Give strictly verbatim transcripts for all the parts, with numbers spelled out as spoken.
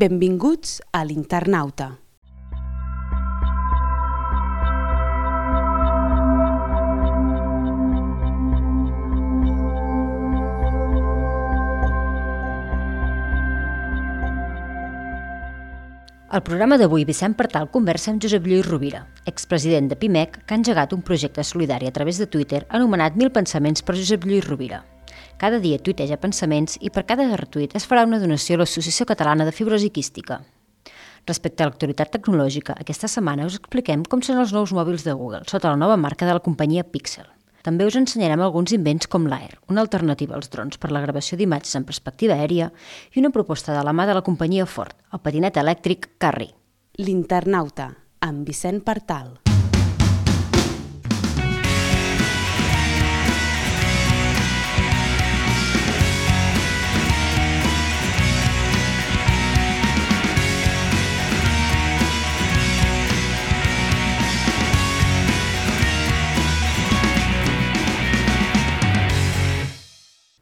Benvinguts a l'Internauta. Al programa d'avui, Vicent Partal conversa amb Josep Lluís Rovira, expresident de Pimec, que ha engegat un projecte solidari a través de Twitter anomenat Mil pensaments per Josep Lluís Rovira. Cada dia tuiteja pensaments i per cada retuit es farà una donació a l'Associació Catalana de Fibrosi Quística. Respecte a l'actualitat tecnològica, aquesta setmana us expliquem com són els nous mòbils de Google sota la nova marca de la companyia Pixel. També us ensenyarem alguns invents com l'Air, una alternativa als drons per la gravació d'imatges en perspectiva aèria i una proposta de la mà de la companyia Ford, el patinet elèctric Carri. L'Internauta, amb Vicent Partal.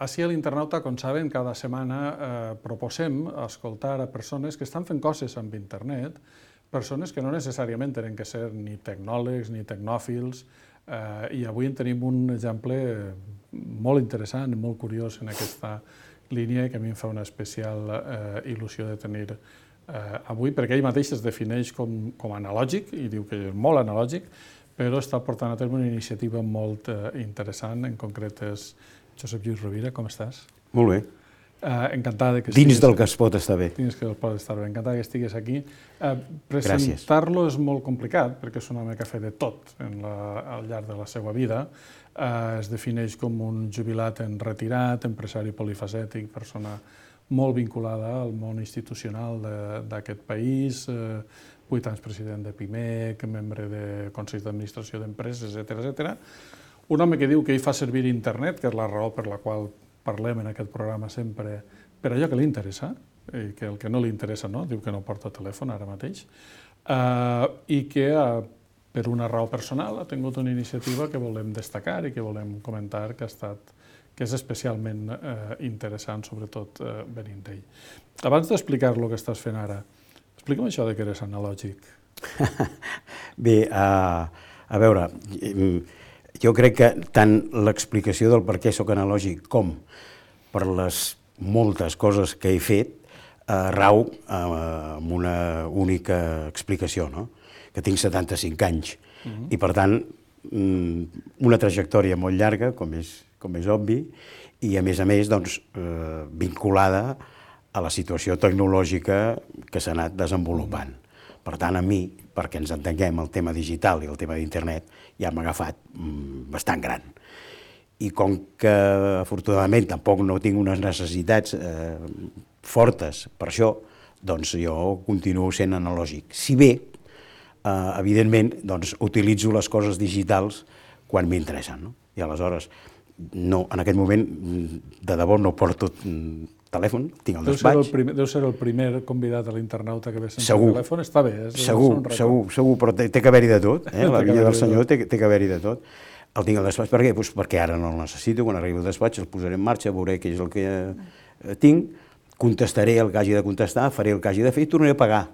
Així a l'Internauta, com saben, cada setmana eh, proposem escoltar a persones que estan fent coses amb internet, persones que no necessàriament tenen que ser ni tecnòlegs ni tecnòfils, eh, i avui en tenim un exemple molt interessant i molt curiós en aquesta línia que a mi em fa una especial eh, il·lusió de tenir eh, avui, perquè ell mateix es defineix com, com analògic i diu que és molt analògic, però està portant a terme una iniciativa molt eh, interessant, en concret és Josep Lluís Rovira, com estàs? Molt bé. Uh, encantada que Dins del que es pot estar bé. Dins que es pot estar bé. Encantada que estiguis aquí. Uh, Presentar-lo és molt complicat, perquè és un home que ha fet de tot en la, al llarg de la seva vida. Uh, es defineix com un jubilat en retirat, empresari polifacètic, persona molt vinculada al món institucional d'aquest país, uh, vuit anys president de Pimec, membre de Consells d'Administració d'Empreses, etcètera, etcètera. Un home que diu que ell fa servir internet, que és la raó per la qual parlem en aquest programa sempre, per allò que li interessa, i que el que no li interessa no, diu que no porta telèfon ara mateix, uh, i que uh, per una raó personal ha tingut una iniciativa que volem destacar i que volem comentar que ha estat, que és especialment uh, interessant, sobretot uh, venint d'ell. Abans d'explicar-lo que estàs fent ara, explica'm això de que eres analògic. Bé, uh, a veure... Jo crec que tant l'explicació del per què soc analògic com per les moltes coses que he fet eh, rau eh, amb una única explicació, no? Que tinc setanta-cinc anys. Uh-huh. I per tant, una trajectòria molt llarga, com és, com és obvi, i a més a més doncs, eh, vinculada a la situació tecnològica que s'ha anat desenvolupant. Per tant, a mi, perquè ens entenguem el tema digital i el tema d'internet, ja m'ha agafat mm, bastant gran. I com que, afortunadament, tampoc no tinc unes necessitats eh, fortes per això, doncs jo continuo sent analògic. Si bé, eh, evidentment, doncs, utilitzo les coses digitals quan m'interessen, no? I aleshores, no, en aquest moment, de debò no porto telèfon, tinc el despatx. Deu ser el primer, deu ser el primer convidat a l'Internauta que ve sense segur. telèfon, està bé. És, segur, és segur, segur, però té, té que haver-hi de tot, eh? La vida del senyor té, té que haver-hi de tot. El tinc al despatx, per què? Pues perquè ara no el necessito, quan arribi al despatx el posaré en marxa, veuré què és el que eh, tinc, contestaré el que hagi de contestar, faré el que hagi de fer i tornaré a pagar.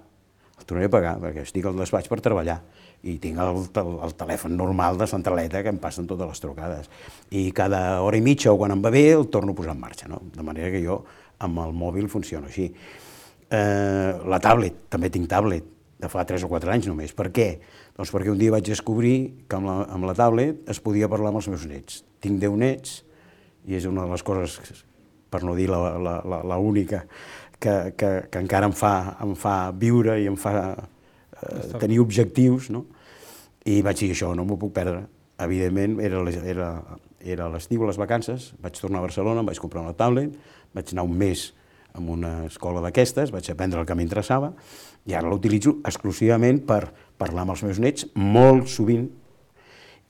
El tornaré a pagar, perquè estic al despatx per treballar i tinc el, el, el telèfon normal de centraleta que em passen totes les trucades. I cada hora i mitja o quan em va bé el torno a posar en marxa, no? De manera que jo amb el mòbil funciona així. Eh, la tablet, també tinc tablet, de fa tres o quatre anys només. Per què? Doncs perquè un dia vaig descobrir que amb la, amb la tablet es podia parlar amb els meus nets. Tinc deu nets i és una de les coses, per no dir la, la, la, la única, que, que, que encara em fa, em fa viure i em fa eh, tenir objectius, no? I vaig dir això, no m'ho puc perdre. Evidentment, era, era, era l'estiu, les vacances, vaig tornar a Barcelona, em vaig comprar una tablet, vaig anar un mes en una escola d'aquestes, vaig aprendre el que m'interessava i ara l'utilitzo exclusivament per parlar amb els meus nets molt sovint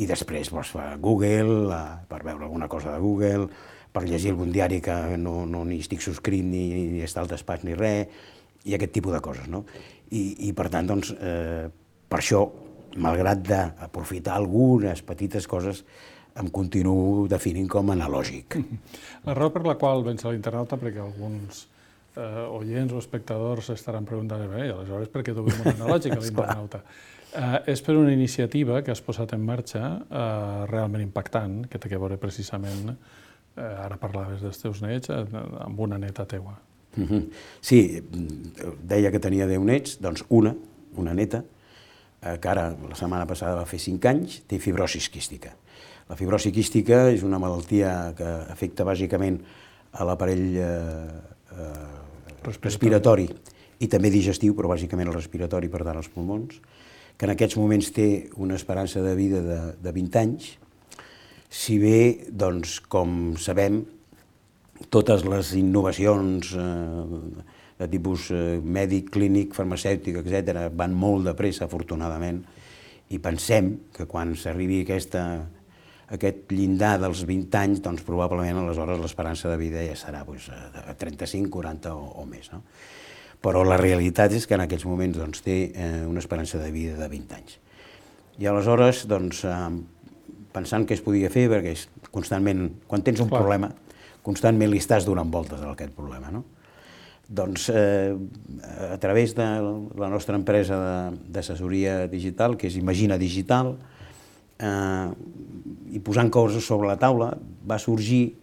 i després doncs, per Google, per veure alguna cosa de Google, per llegir algun diari que no, no ni estic subscrit ni, ni està al despatx ni res, i aquest tipus de coses, no? I, i per tant, doncs, eh, per això, malgrat d'aprofitar algunes petites coses, em continuo definint com analògic. La raó per la qual vens a l'Internauta, perquè alguns eh, oients o espectadors estaran preguntant, bé, i aleshores per què duguem un analògic a l'internauta? Eh, és per una iniciativa que has posat en marxa eh, realment impactant, que té a veure precisament, eh, ara parlaves dels teus nets, eh, amb una neta teua. Mm-hmm. Sí, deia que tenia deu nets, doncs una, una neta, eh, que ara la setmana passada va fer cinc anys, té fibrosi quística. La fibrosi quística és una malaltia que afecta bàsicament a l'aparell eh, eh, respiratori i també digestiu, però bàsicament el respiratori, per tant els pulmons, que en aquests moments té una esperança de vida de, de vint anys, si bé, doncs, com sabem, totes les innovacions eh, de tipus eh, mèdic, clínic, farmacèutic, etcètera, van molt de pressa, afortunadament, i pensem que quan s'arribi aquesta, aquest llindar dels vint anys, doncs probablement aleshores l'esperança de vida ja serà doncs, de trenta-cinc, quaranta o, o més, no? Però la realitat és que en aquests moments doncs, té eh, una esperança de vida de vint anys. I aleshores, doncs, eh, pensant què es podia fer, perquè és constantment, quan tens un Clar. problema, constantment li estàs donant voltes a aquest problema, no? Doncs eh, a través de la nostra empresa d'assessoria digital, que és Imagina Digital, eh, i posant coses sobre la taula, va sorgir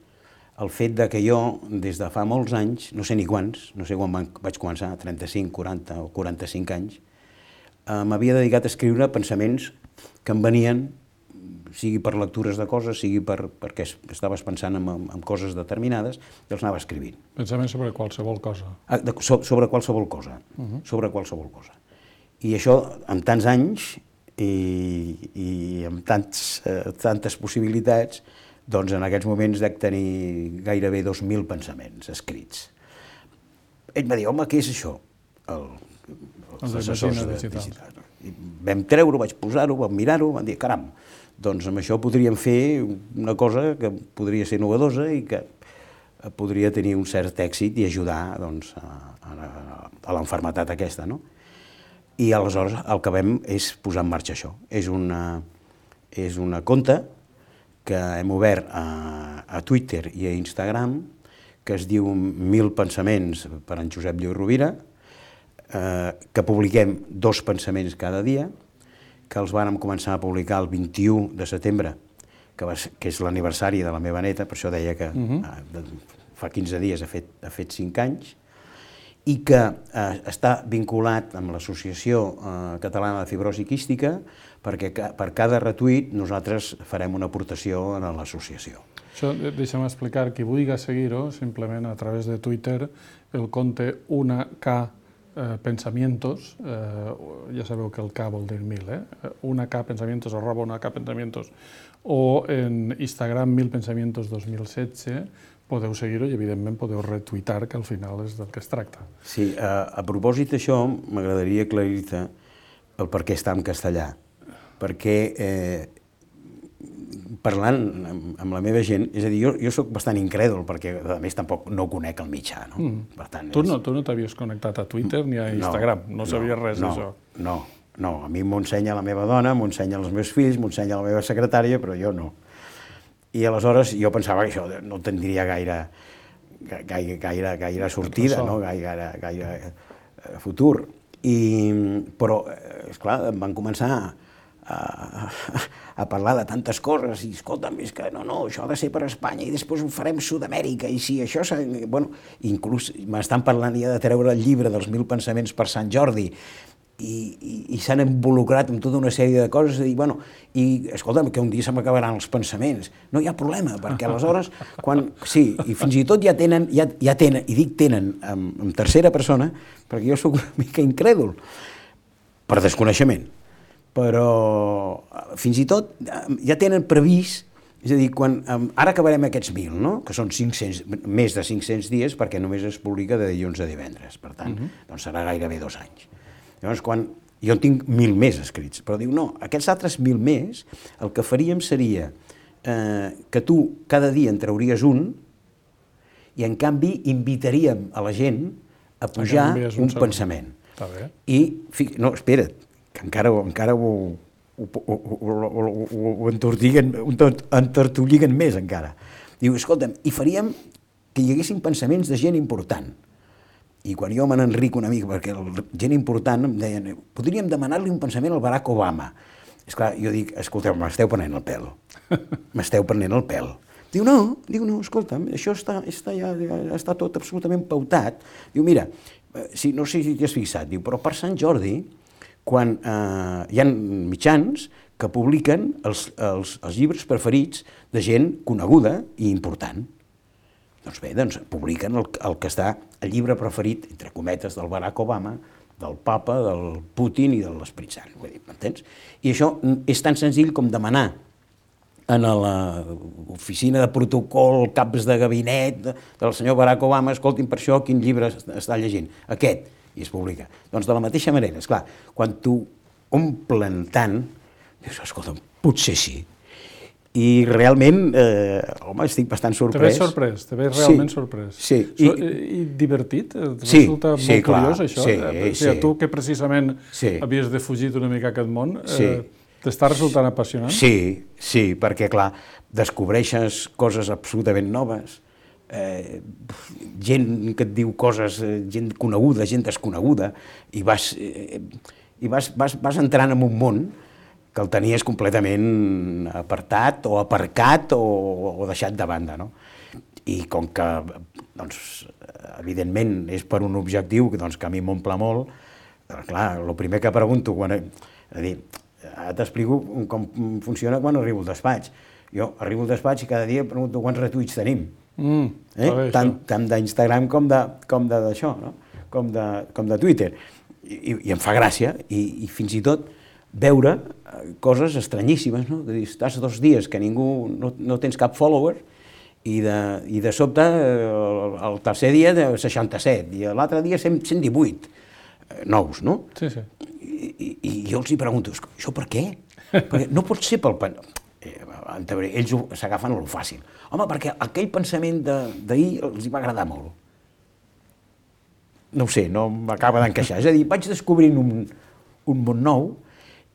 el fet de que jo, des de fa molts anys, no sé ni quants, no sé quan vaig començar, trenta-cinc, quaranta o quaranta-cinc anys, eh, m'havia dedicat a escriure pensaments que em venien, sigui per lectures de coses, sigui per, perquè estaves pensant en, en coses determinades, i els anava escrivint. Pensaments sobre qualsevol cosa. Ah, de, so, sobre qualsevol cosa, uh-huh. sobre qualsevol cosa. I això, amb tants anys i, i amb tants, eh, tantes possibilitats, doncs en aquests moments dec tenir gairebé dos mil pensaments escrits. Ell va dir, home, què és això? El, els assessors digitals. I vam treure-ho, vaig posar-ho, vam mirar-ho, vam dir, caram, doncs amb això podríem fer una cosa que podria ser novedosa i que podria tenir un cert èxit i ajudar doncs, a, a, a l'enfermetat aquesta, no? I aleshores el que vam és posar en marxa això. És una, és una conta que hem obert a, a Twitter i a Instagram, que es diu Mil pensaments per en Josep Lluís Rovira, eh, que publiquem dos pensaments cada dia, que els vàrem començar a publicar el vint-i-u de setembre, que, va, que és l'aniversari de la meva neta, per això deia que uh-huh. eh, fa quinze dies ha fet, ha fet cinc anys, i que eh, està vinculat amb l'Associació eh, Catalana de Fibrosi Quística, perquè per cada retuit nosaltres farem una aportació a l'associació. Això, deixa'm explicar, qui vulgui seguir-ho, simplement a través de Twitter, el compte una K eh, Pensamientos, eh, ja sabeu que el K vol dir mil, eh? una K Pensamientos, arroba una K Pensamientos, o en Instagram mil pensamientos dos mil setze, podeu seguir-ho i, evidentment, podeu retuitar, que al final és del que es tracta. Sí, a, a propòsit d'això, m'agradaria aclarir-te el per què està en castellà. Perquè, eh, parlant amb, amb la meva gent, és a dir, jo, jo soc bastant incrèdul, perquè, a més, tampoc no conec el mitjà, no? Mm. Per tant, tu no, tu no t'havies connectat a Twitter ni a Instagram, no, no sabies no, res no, d'això. No, no, a mi m'ho ensenya la meva dona, m'ho ensenya els meus fills, m'ho ensenya la meva secretària, però jo no. I aleshores jo pensava que això no tindria gaire, gaire, gaire, gaire sortida, no? gaire, gaire futur. I, però, esclar, em van començar a, a parlar de tantes coses i, escolta'm, és que no, no, això ha de ser per Espanya i després ho farem Sud-amèrica i si això... Bueno, inclús m'estan parlant ja de treure el llibre dels mil pensaments per Sant Jordi i, i, i s'han involucrat en tota una sèrie de coses i, bueno, i escolta'm, que un dia se m'acabaran els pensaments. No hi ha problema, perquè aleshores, quan... Sí, i fins i tot ja tenen, ja, ja tenen, i dic tenen en, en tercera persona, perquè jo sóc una mica incrèdul, per desconeixement. Però fins i tot ja tenen previst, és a dir, quan, ara acabarem aquests mil, no? Que són cinc-cents, més de cinc-cents dies, perquè només es publica de dilluns a divendres, per tant, uh-huh. doncs serà gairebé dos anys. Llavors, quan jo en tinc mil més escrits, però diu, no, aquests altres mil més, el que faríem seria eh, que tu cada dia en trauries un i, en canvi, invitaríem a la gent a pujar un, un pensament. Està bé. I, no, espera't, que encara, encara ho, ho, ho, ho, ho, ho entortiguen, entortolliguen més encara. Diu, escolta'm, i faríem que hi haguessin pensaments de gent important. I quan jo me n'enric una mica, perquè gent important em deien, podríem demanar-li un pensament al Barack Obama. Esclar, jo dic, escolteu, m'esteu prenent el pèl. M'esteu prenent el pèl. Diu, no, diu, no, escolta'm, això està, està, ja, ja està tot absolutament pautat. Diu, mira, si, no sé si t'hi has fixat, diu, però per Sant Jordi, quan eh, hi ha mitjans que publiquen els, els, els llibres preferits de gent coneguda i important. Doncs bé, doncs publiquen el, el que està el llibre preferit, entre cometes, del Barack Obama, del Papa, del Putin i de l'Esperit Sant, m'entens? I això és tan senzill com demanar en l'oficina de protocol, caps de gabinet del senyor Barack Obama, escoltin per això quin llibre està llegint, aquest, i es publica. Doncs de la mateixa manera, esclar, quan t'ho omplen tant, dius, escolta, potser sí. I realment, eh, home, estic bastant sorprès. Te veig sorprès, te veig realment sí, sorprès. Sí. I, I divertit? Et sí, resulta sí, molt clar, curiós, això? Sí, o sigui, sí. Tu que precisament sí. havies defugit una mica aquest món, sí. eh, t'està resultant apassionant? Sí, sí, perquè, clar, descobreixes coses absolutament noves, eh, gent que et diu coses, gent coneguda, gent desconeguda, i vas, eh, i vas, vas, vas entrant en un món que el tenies completament apartat o aparcat o, o deixat de banda, no? I com que, doncs, evidentment, és per un objectiu doncs, que a mi m'omple molt, clar, el primer que pregunto, quan, és a dir, ara t'explico com funciona quan arribo al despatx. Jo arribo al despatx i cada dia pregunto quants retuits tenim, mm, eh? tant, tant d'Instagram com d'això, no? com, de, com de Twitter. I, i em fa gràcia, i, i fins i tot veure coses estranyíssimes, no? Estàs dos dies que ningú, no, no tens cap follower, i de, i de sobte el, el tercer dia de seixanta-set, i l'altre dia cent divuit nous, no? Sí, sí. I, i, i jo els hi pregunto, això per què? Perquè no pot ser pel... Eh, ells s'agafen a lo fàcil. Home, perquè aquell pensament d'ahir els hi va agradar molt. No ho sé, no m'acaba d'encaixar. És a dir, vaig descobrint un, un món nou,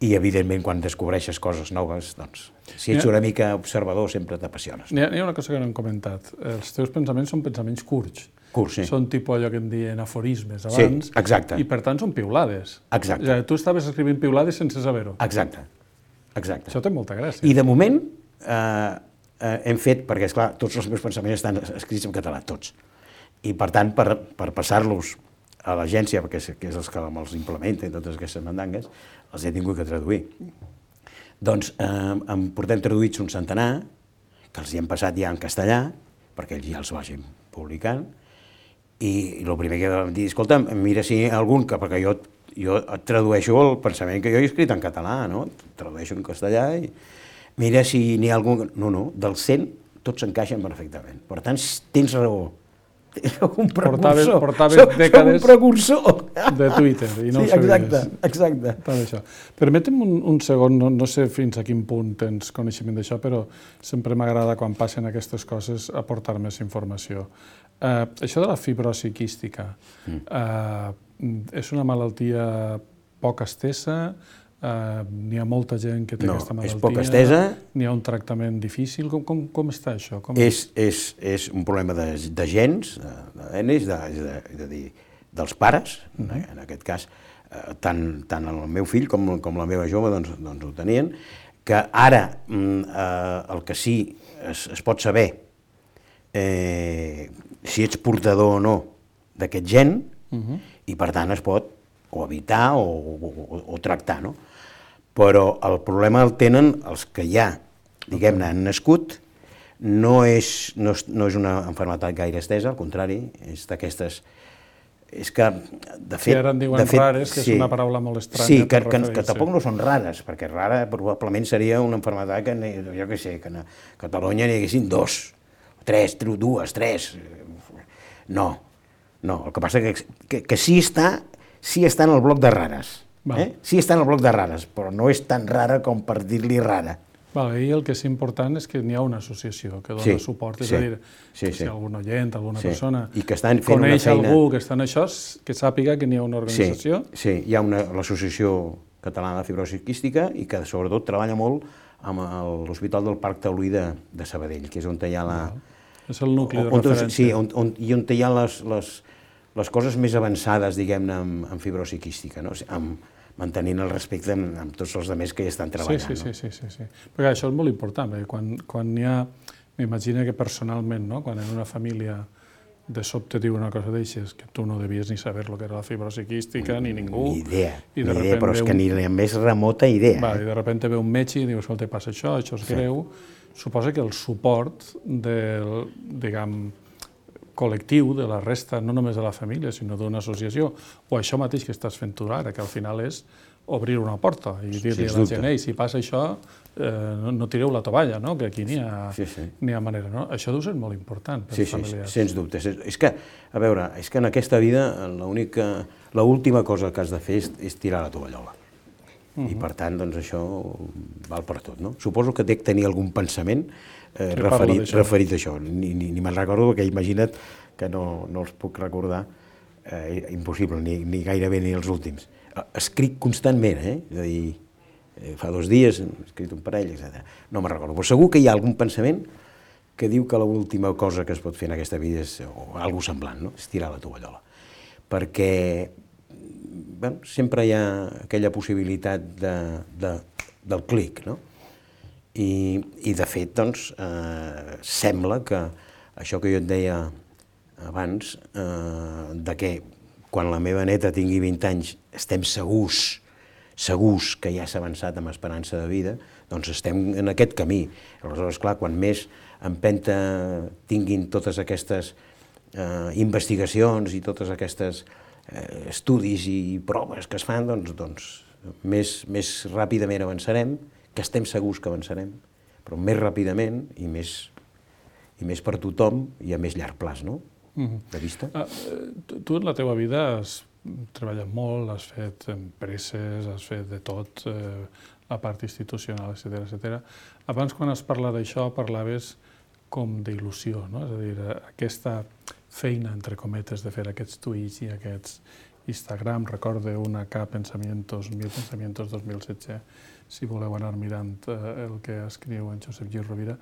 i, evidentment, quan descobreixes coses noves, doncs, si ets una mica observador, sempre t'apassiones. N'hi ha una cosa que no hem comentat. Els teus pensaments són pensaments curts. Curts, sí. Són tipus allò que em deien aforismes abans. Sí, exacte. I, per tant, són piulades. Exacte. O sigui, tu estaves escrivint piulades sense saber-ho. Exacte. Exacte. Això té molta gràcia. I, de moment, eh, eh, hem fet, perquè, esclar, tots els meus pensaments estan escrits en català, tots. I, per tant, per, per passar-los a l'agència, perquè és, que és els que me'ls implementa i totes aquestes mandangues, els he tingut que traduir. Doncs eh, en portem traduïts un centenar, que els hi hem passat ja en castellà, perquè ells ja els vagin publicant, i, i el primer que vam dir, escolta, mira si hi ha algun, que, perquè jo, jo et tradueixo el pensament que jo he escrit en català, no? Tradueixo en castellà i mira si n'hi ha algun... No, no, dels cent tots s'encaixen perfectament. Per tant, tens raó. Soc un precursor, portaves soc, dècades soc un precursor de Twitter i no sí, ho sabies. Exacte, exacte. Tot això. Permetem un, un segon, no, no sé fins a quin punt tens coneixement d'això, però sempre m'agrada quan passen aquestes coses aportar més informació. Uh, això de la fibrosi quística mm. uh, és una malaltia poc estesa? Uh, n'hi ha molta gent que té no, aquesta malaltia? És poc estesa. N'hi ha un tractament difícil? Com, com, com està això? Com és, és, és un problema de, de gens, de, de genes, de, de, de dir, dels pares, mm-hmm. en aquest cas, eh, tant, tant el meu fill com, com la meva jove doncs, doncs ho tenien, que ara eh, el que sí es, es pot saber eh, si ets portador o no d'aquest gen, mm-hmm. i per tant es pot o evitar o, o, o, o tractar, no? Però el problema el tenen els que ja, diguem-ne, han nascut, no és, no, és, no és una malaltia gaire estesa, al contrari, és d'aquestes... És que, de fet... Sí, ara en diuen de fet, rares, que sí, és una paraula molt estranya. Sí, que, que, que tampoc sí. no són rares, perquè rara probablement seria una malaltia que, jo què sé, que a Catalunya n'hi haguessin dos, tres, dues, tres... No, no, el que passa que, que, que sí està... sí està en el bloc de rares, eh? Sí està en el bloc de rares, però no és tan rara com per dir-li rara. Vale, i el que és important és que n'hi ha una associació que dona sí, suport, és sí, a dir, sí, si sí. algun oient, alguna sí. persona I que estan fent coneix una feina... algú que està en això, que sàpiga que n'hi ha una organització. Sí, sí, hi ha l'Associació Catalana de Fibrosi Quística i que sobretot treballa molt amb l'Hospital del Parc Taulí de, de Sabadell, que és on hi ha la... Val. És el nucli de on, referència. Sí, on, on, i on hi ha les... les les coses més avançades, diguem-ne, en fibrosi quística, no? Mantenint el respecte amb tots els altres que hi estan treballant. Sí, sí, sí, sí, sí. Perquè això és molt important, perquè quan hi ha, m'imagino que personalment, quan en una família de sobte diu una cosa d'aixes, que tu no devies ni saber el que era la fibrosi quística, ni ningú. Ni idea, ni idea, però és que ni la més remota idea. I de sobte ve un metge i diu, escolta, passa això, això és greu. Suposa que el suport del, diguem, col·lectiu de la resta, no només de la família, sinó d'una associació, o això mateix que estàs fent tu ara, que al final és obrir una porta i dir-li a la gent, ei, si passa això, no tireu la tovalla, que aquí n'hi ha manera. Això deu ser molt important per als familiars. Sí, sens dubte. És que, a veure, és que en aquesta vida l'última cosa que has de fer és tirar la tovallola. I per tant, doncs això val per tot, no? Suposo que dec tenir algun pensament referit a això. Ni me'n recordo, perquè imagina't que no els puc recordar, impossible, ni gairebé ni els últims. Escric constantment, eh? És a dir, fa dos dies he escrit un parell, etcètera. No me'n recordo, però segur que hi ha algun pensament que diu que l'última cosa que es pot fer en aquesta vida és, o alguna cosa semblant, no? És tirar la tovallola. Perquè sempre hi ha aquella possibilitat del clic, no? I de fet, doncs, sembla que això que jo et deia abans, de que quan la meva neta tingui vint anys estem segurs, segurs que ja s'ha avançat amb esperança de vida, doncs estem en aquest camí. Aleshores, clar, quan més empenta tinguin totes aquestes investigacions i totes aquestes estudis i proves que es fan, doncs més ràpidament avançarem, que estem segurs que avançarem, però més ràpidament i més per tothom i a més llarg plaç, no? De vista. Tu en la teva vida has treballat molt, has fet empreses, has fet de tot, la part institucional, etcètera, etcètera. Abans, quan has parlat d'això, parlaves com d'il·lusió, no? És a dir, aquesta feina, entre cometes, de fer aquests tuits i aquests Instagram, recorde una K Pensamientos, Mil Pensamientos dos mil setze, si voleu anar mirant el que escriu en Josep Lluís Rovira.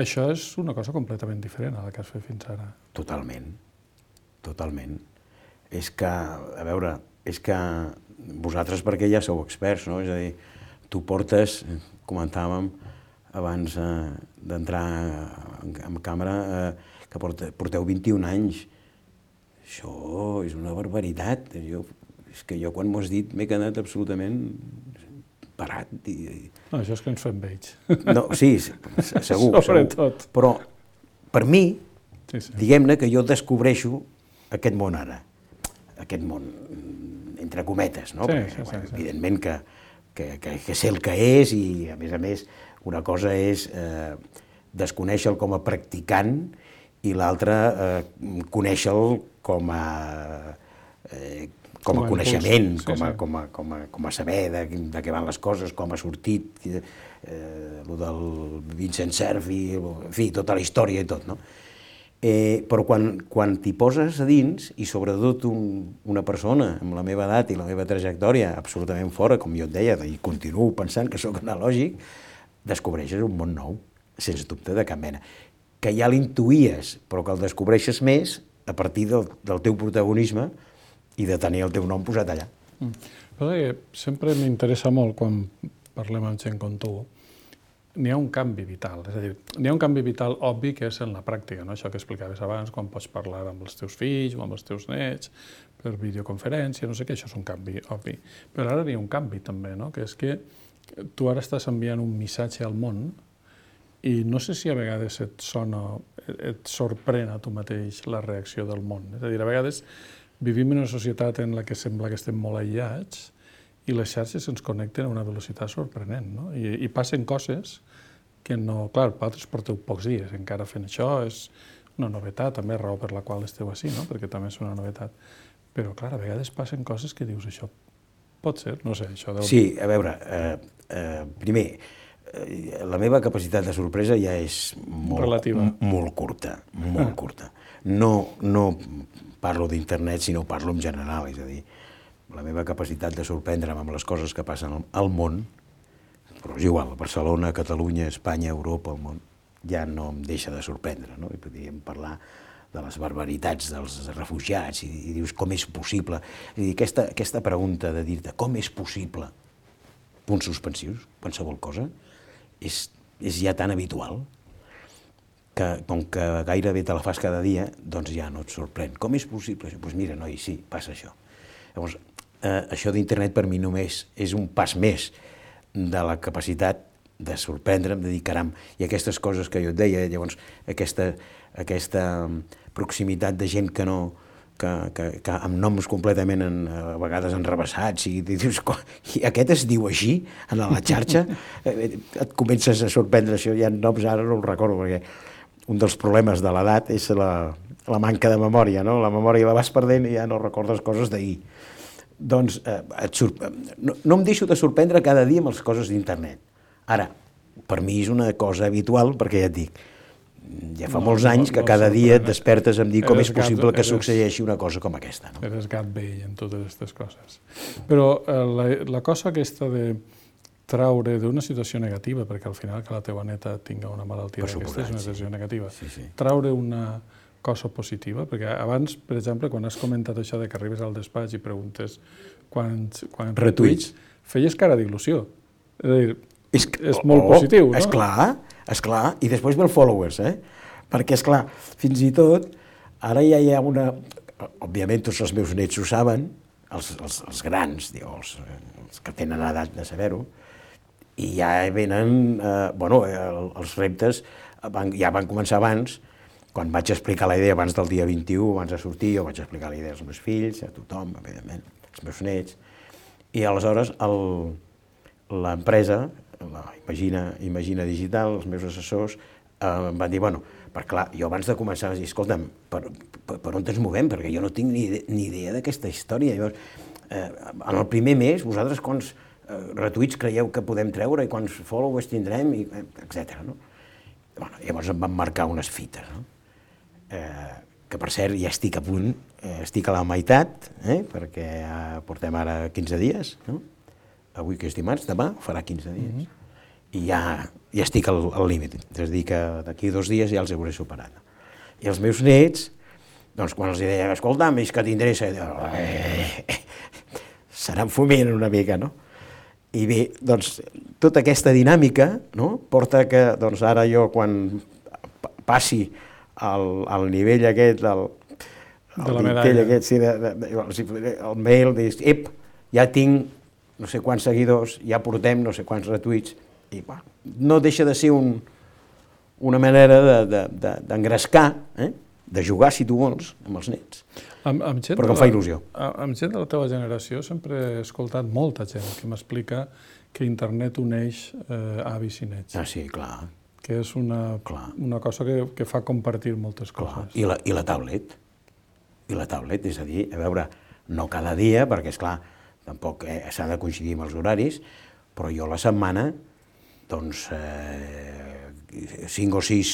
Això és una cosa completament diferent a la que has fet fins ara. Totalment, totalment. És que, a veure, és que vosaltres perquè ja sou experts, no? És a dir, tu portes, comentàvem abans d'entrar en càmera, que porteu vint-i-un anys. Això és una barbaritat. És que jo quan m'ho has dit m'he quedat absolutament parat. No, això és que ens fem vells. No, sí, segur, segur. Però per mi, diguem-ne que jo descobreixo aquest món ara. Aquest món, entre cometes, no? Evidentment que sé el que és i, a més a més, una cosa és desconèixer-lo com a practicant i l'altra conèixer-lo com a com a coneixement, com a saber de què van les coses, com ha sortit, el del Vincent Cerf, en fi, tota la història i tot, no? Però quan t'hi poses a dins, i sobretot una persona amb la meva edat i la meva trajectòria absolutament fora, com jo et deia, i continuo pensant que sóc analògic, descobreixes un món nou, sens dubte de cap mena, que ja l'intuïes, però que el descobreixes més a partir del teu protagonisme i de tenir el teu nom posat allà. Sempre m'interessa molt, quan parlem amb gent com tu, n'hi ha un canvi vital, és a dir, n'hi ha un canvi vital obvi que és en la pràctica, això que explicaves abans, quan pots parlar amb els teus fills o amb els teus nets, per videoconferència, no sé què, això és un canvi obvi. Però ara n'hi ha un canvi també, que és que tu ara estàs enviant un missatge al món i no sé si a vegades et sona, et sorprèn a tu mateix la reacció del món. És a dir, a vegades vivim en una societat en la que sembla que estem molt aïllats i les xarxes ens connecten a una velocitat sorprenent, no? I passen coses que no... Clar, vosaltres porteu pocs dies encara fent això, és una novetat, també raó per la qual esteu així, no? Perquè també és una novetat. Però, clar, a vegades passen coses que dius, això pot ser, no sé, això... Sí, a veure, primer, la meva capacitat de sorpresa ja és molt curta, molt curta. No parlo d'internet, sinó parlo en general, és a dir, la meva capacitat de sorprendre'm amb les coses que passen al món, però és igual, Barcelona, Catalunya, Espanya, Europa, el món, ja no em deixa de sorprendre, no? I podríem parlar de les barbaritats dels refugiats, i, i dius com és possible. I aquesta, aquesta pregunta de dir-te com és possible, punts suspensius, qualsevol cosa, és, és ja tan habitual que, com que gairebé te la fas cada dia, doncs ja no et sorprèn. Com és possible? Doncs pues mira, noi, sí, passa això. Llavors, eh, això d'internet per mi només és un pas més de la capacitat de sorprendre'm, de dir, caram, i aquestes coses que jo et deia, llavors, aquesta, aquesta proximitat de gent que no, que, que, que amb noms completament en, a vegades enrebaçats, i dius, i aquest es diu així, en la xarxa, et comences a sorprendre això, hi ha noms, ara no els recordo, perquè un dels problemes de l'edat és la, la manca de memòria, no? La memòria la vas perdent i ja no recordes coses d'ahir. Doncs eh, et sorpre... no, no em deixo de sorprendre cada dia amb les coses d'internet. Ara, per mi és una cosa habitual, perquè ja et dic, ja fa no, molts anys que no, no cada dia et despertes em dir com és possible gat, que eres, succeeixi una cosa com aquesta. No? Eres gat vell en totes aquestes coses. Però eh, la, la cosa aquesta de traure d'una situació negativa, perquè al final que la teva neta tinga una malaltia d'aquesta és una situació sí. negativa, sí, sí. traure una cosa positiva, perquè abans, per exemple, quan has comentat això de que arribes al despatx i preguntes quants, quants retuits, feies cara d'il·lusió. És a dir, és, és molt oh, positiu, no? Esclar, esclar, i després ve el followers, eh? Perquè, esclar, fins i tot, ara ja hi ha una... Òbviament, tots els meus nets ho saben, els, els, els grans, diu, els, els que tenen edat de saber-ho, i ja venen, eh, bueno, els reptes van, ja van començar abans, quan vaig explicar la idea abans del dia vint-i-u, abans de sortir, jo vaig explicar la idea als meus fills, a tothom, evidentment, als meus nets, i aleshores l'empresa, la Imagina, Imagina Digital, els meus assessors, eh, em van dir, bueno, per clar, jo abans de començar vaig dir, escolta'm, per, per, per on ens movem? Perquè jo no tinc ni, ni idea d'aquesta història. Llavors, eh, en el primer mes, vosaltres quants eh, retuits creieu que podem treure i quants followers tindrem, i, etcètera. No? Bueno, llavors em van marcar unes fites, no? Eh, que per cert ja estic a punt, eh, estic a la meitat, eh, perquè ja portem ara quinze dies, no? Avui que és dimarts, demà farà quinze dies, mm-hmm. i ja, ja estic al, al límit, és a dir que d'aquí dos dies ja els hauré superat. I els meus nets, doncs quan els deia, escolta'm, és que t'interessa, eh, seran fumint una mica, no? I bé, doncs tota aquesta dinàmica, no?, porta que doncs ara jo quan passi al, al nivell aquest, del, de la medalla, aquest, sí, de, de, de, el mail, dius, ep, ja tinc no sé quants seguidors, ja portem no sé quants retuits, i bueno, no deixa de ser un, una manera d'engrescar, de, de, eh? de jugar, si tu vols, amb els nets, amb, amb gent però que em fa il·lusió. Amb gent de la teva generació sempre he escoltat molta gent que m'explica que internet uneix eh, avis i nets. Ah, sí, clar. Que és una, una cosa que, que fa compartir moltes clar. coses. I la, I la tablet. I la tablet, és a dir, a veure, no cada dia, perquè, esclar, tampoc eh, s'ha de coincidir amb els horaris, però jo la setmana, doncs, eh, cinc o sis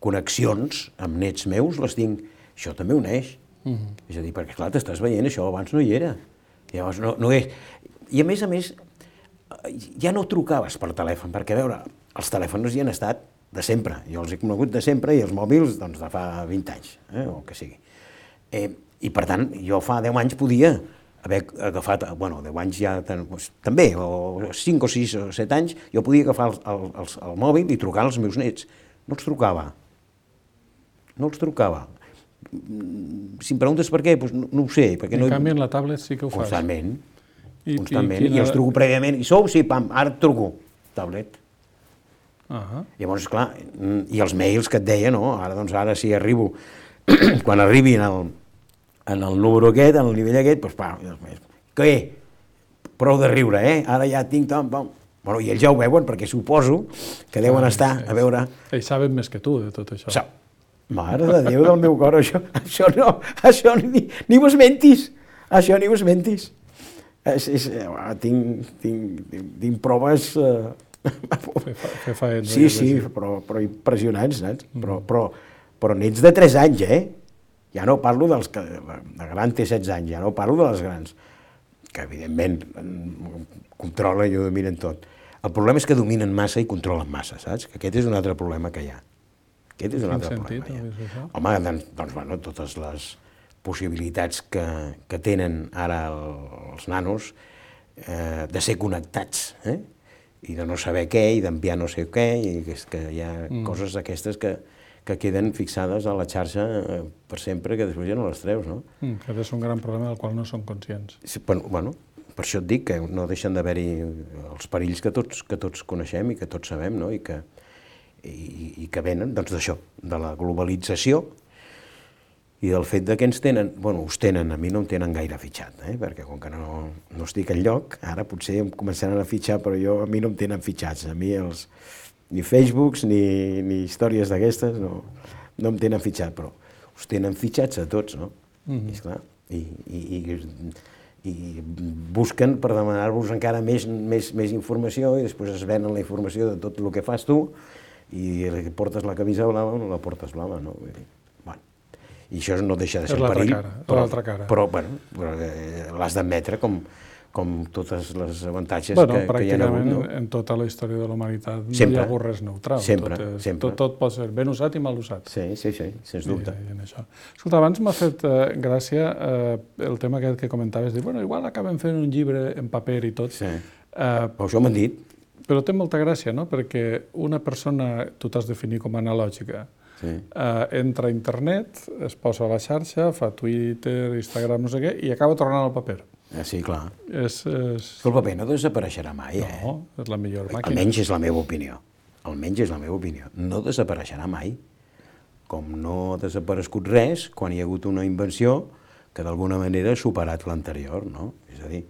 connexions amb nets meus les tinc. Això també uneix. Mm-hmm. És a dir, perquè, clar, t'estàs veient, això abans no hi era. Llavors, no, no és... I a més a més, ja no trucaves per telèfon, perquè, a veure, els telèfons hi han estat de sempre. Jo els he conegut de sempre i els mòbils, doncs, de fa vint anys, eh, o el que sigui. Eh, I, per tant, jo fa deu anys podia haver agafat, bueno, deu anys ja doncs, també, o cinc o sis o set anys, jo podia agafar el, el, el, el mòbil i trucar als meus nets. No els trucava. No els trucava. Si em preguntes per què, doncs no, no ho sé. Perquè en no... canvi, en la tablet sí que ho fas. Constantment. I, constantment. I, I, I els truco prèviament. I sou? Sí, pam, ara et truco. Tablet. Uh -huh. Llavors, clar, i els mails que et deia, no? Ara, doncs, ara si arribo, quan arribi en el, en el número aquest, en el nivell aquest, doncs, pam, què? Prou de riure, eh? Ara ja tinc tant, pam. Bueno, i ells ja ho veuen, perquè suposo que deuen ah, estar, a veure... Ells saben més que tu de tot això. Sa Mare de Déu del meu cor, això, això no, això ni, ni ho esmentis, això ni ho esmentis. És, és, tinc, tinc, tinc, tinc proves... Eh... Fer, fer faena. Sí, sí, però, però impressionants, saps? Mm. Però, però, però nets de tres anys, eh? Ja no parlo dels que... La gran té setze anys, ja no parlo de les grans, que evidentment controlen i ho dominen tot. El problema és que dominen massa i controlen massa, saps? Que aquest és un altre problema que hi ha. Aquest és un altre sentit, problema. no, això? Home, doncs, doncs, bueno, totes les possibilitats que, que tenen ara el, els nanos eh, de ser connectats, eh? I de no saber què, i d'enviar no sé què, i que, és que hi ha mm. coses aquestes que, que queden fixades a la xarxa eh, per sempre, que després ja no les treus, no? Mm, aquest és un gran problema del qual no som conscients. Sí, bueno, bueno, per això et dic que no deixen d'haver-hi els perills que tots, que tots coneixem i que tots sabem, no? I que, i, i que venen doncs, d'això, de la globalització i del fet de que ens tenen, bueno, us tenen, a mi no em tenen gaire fitxat, eh? Perquè com que no, no estic enlloc, ara potser em començaran a fitxar, però jo, a mi no em tenen fitxats, a mi els, ni Facebooks ni, ni històries d'aquestes no, no em tenen fitxat, però us tenen fitxats a tots, no? Mm-hmm. I, esclar, i, i, i, i busquen per demanar-vos encara més, més, més informació i després es venen la informació de tot el que fas tu i portes la camisa blava o no la portes blava, no? Vull dir, bueno, i això no deixa de ser un perill, cara, però, cara. però, bueno, però eh, l'has d'admetre com, com totes les avantatges bueno, que, que hi ha hagut. Pràcticament no? en tota la història de la humanitat no sempre, hi ha hagut res neutral. Sempre, tot, és, sempre. Tot, tot pot ser ben usat i mal usat. Sí, sí, sí, sens dubte. I, i en això. Escolta, abans m'ha fet eh, gràcia eh, el tema aquest que comentaves, dir, bueno, igual acabem fent un llibre en paper i tot. Sí. Eh, Però això m'han dit. Però té molta gràcia, no? Perquè una persona, tu t'has definit com a analògica, sí. eh, entra a internet, es posa a la xarxa, fa Twitter, Instagram, no sé què, i acaba tornant al paper. Ah, sí, clar. És, és... El paper no desapareixerà mai, eh? No, és la millor màquina. Almenys és la meva opinió. Almenys és la meva opinió. No desapareixerà mai. Com no ha desaparegut res quan hi ha hagut una invenció que d'alguna manera ha superat l'anterior, no? És a dir,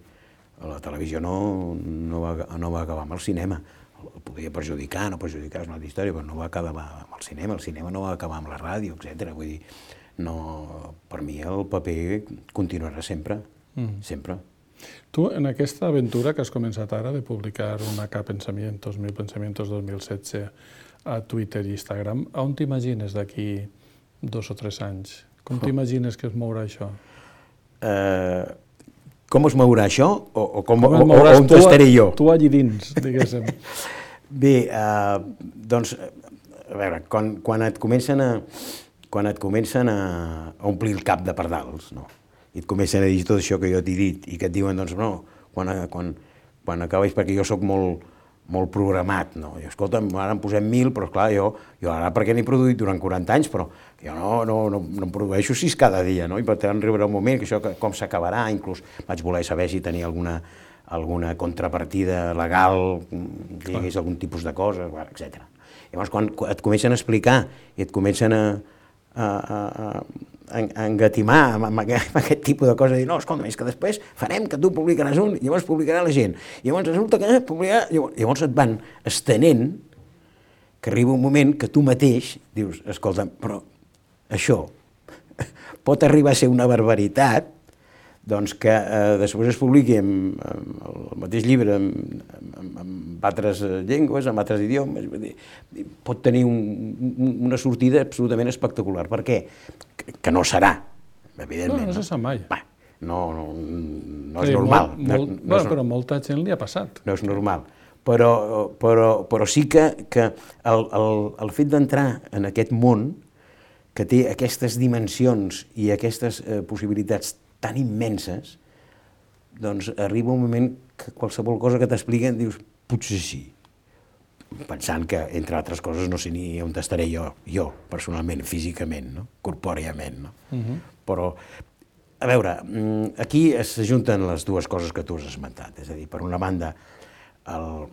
la televisió no, no, va, no va acabar amb el cinema. El podia perjudicar, no perjudicar, és una altra història, però no va acabar amb el cinema, el cinema no va acabar amb la ràdio, etcètera. Vull dir, no, per mi el paper continuarà sempre, mm. sempre. Tu, en aquesta aventura que has començat ara de publicar una K Pensamientos, Mil Pensamientos dos mil setze a Twitter i Instagram, on t'imagines d'aquí dos o tres anys? Com t'imagines que es mourà això? Eh... Com es mourà això o, o, com, com o, o on estaré jo? Tu allí dins, diguéssim. Bé, eh, doncs, a veure, quan, quan et comencen a, quan et comencen a omplir el cap de pardals, no? I et comencen a dir tot això que jo t'he dit i que et diuen, doncs, no, quan, quan, quan acabis, perquè jo sóc molt, molt programat, no? I, escolta'm, ara en posem mil, però esclar, jo, jo ara perquè n'he produït durant quaranta anys, però jo no, no, no, no em produeixo sis cada dia, no? I per tant arribarà un moment que això que, com s'acabarà, inclús vaig voler saber si tenia alguna, alguna contrapartida legal, que hi hagués algun tipus de cosa, etcètera. Llavors, quan et comencen a explicar i et comencen a, a, a, a, a engatimar amb, amb, aquest, amb aquest tipus de coses, dir, no, escolta, és que després farem que tu publicaràs un, i llavors publicarà la gent, i llavors resulta que publicarà... Llavors et van estenent, que arriba un moment que tu mateix dius, escolta, però això pot arribar a ser una barbaritat, doncs que eh, després es publiqui en, en el mateix llibre en, en, en altres llengües, en altres idiomes, pot tenir un, un, una sortida absolutament espectacular. Per què? Que, que no serà, evidentment. No, no se sap mai. Va, no, no, no és sí, normal. Molt, molt, no, no bueno, és, però molta gent li ha passat. No és normal. Però, però, però sí que, que el, el, el fet d'entrar en aquest món que té aquestes dimensions i aquestes eh, possibilitats tan immenses, doncs arriba un moment que qualsevol cosa que t'expliquen dius, potser sí. Pensant que, entre altres coses, no sé ni on estaré jo, jo, personalment, físicament, no? Corpòriament, no? Uh-huh. Però, a veure, aquí s'ajunten les dues coses que tu has esmentat, és a dir, per una banda, el,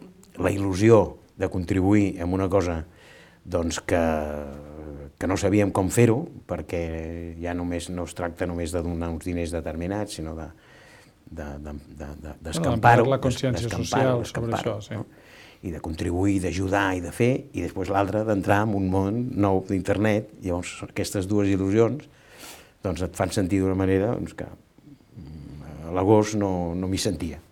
la il·lusió de contribuir en una cosa doncs, que, que no sabíem com fer-ho, perquè ja només no es tracta només de donar uns diners determinats, sinó de, de, de, de, de, d'escampar-ho, la consciència social sobre això, sí. No? I de contribuir, d'ajudar i de fer, i després l'altre d'entrar en un món nou d'internet, i llavors aquestes dues il·lusions doncs, et fan sentir d'una manera doncs, que a l'agost no, no m'hi sentia.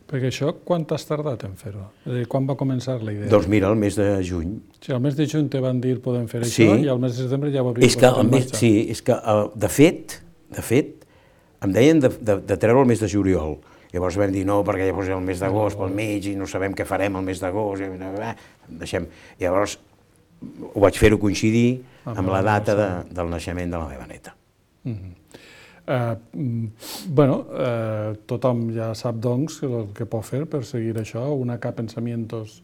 Perquè això, quan t'has tardat en fer-ho? És a dir, quan va començar la idea? Doncs mira, el mes de juny. Sí, el mes de juny te van dir podem fer sí. això i al mes de setembre ja ho havíem posat en marxa. Sí, és que de fet, de fet, em deien de, de, de treure el mes de juliol. Llavors vam dir no, perquè llavors el mes d'agost pel mig i no sabem què farem el mes d'agost. Deixem. Llavors, ho vaig fer-ho coincidir amb la data de, del naixement de la meva neta. Mm-hmm. Uh, bueno, uh, tothom ja sap, doncs, el que pot fer per seguir això, una K Pensamientos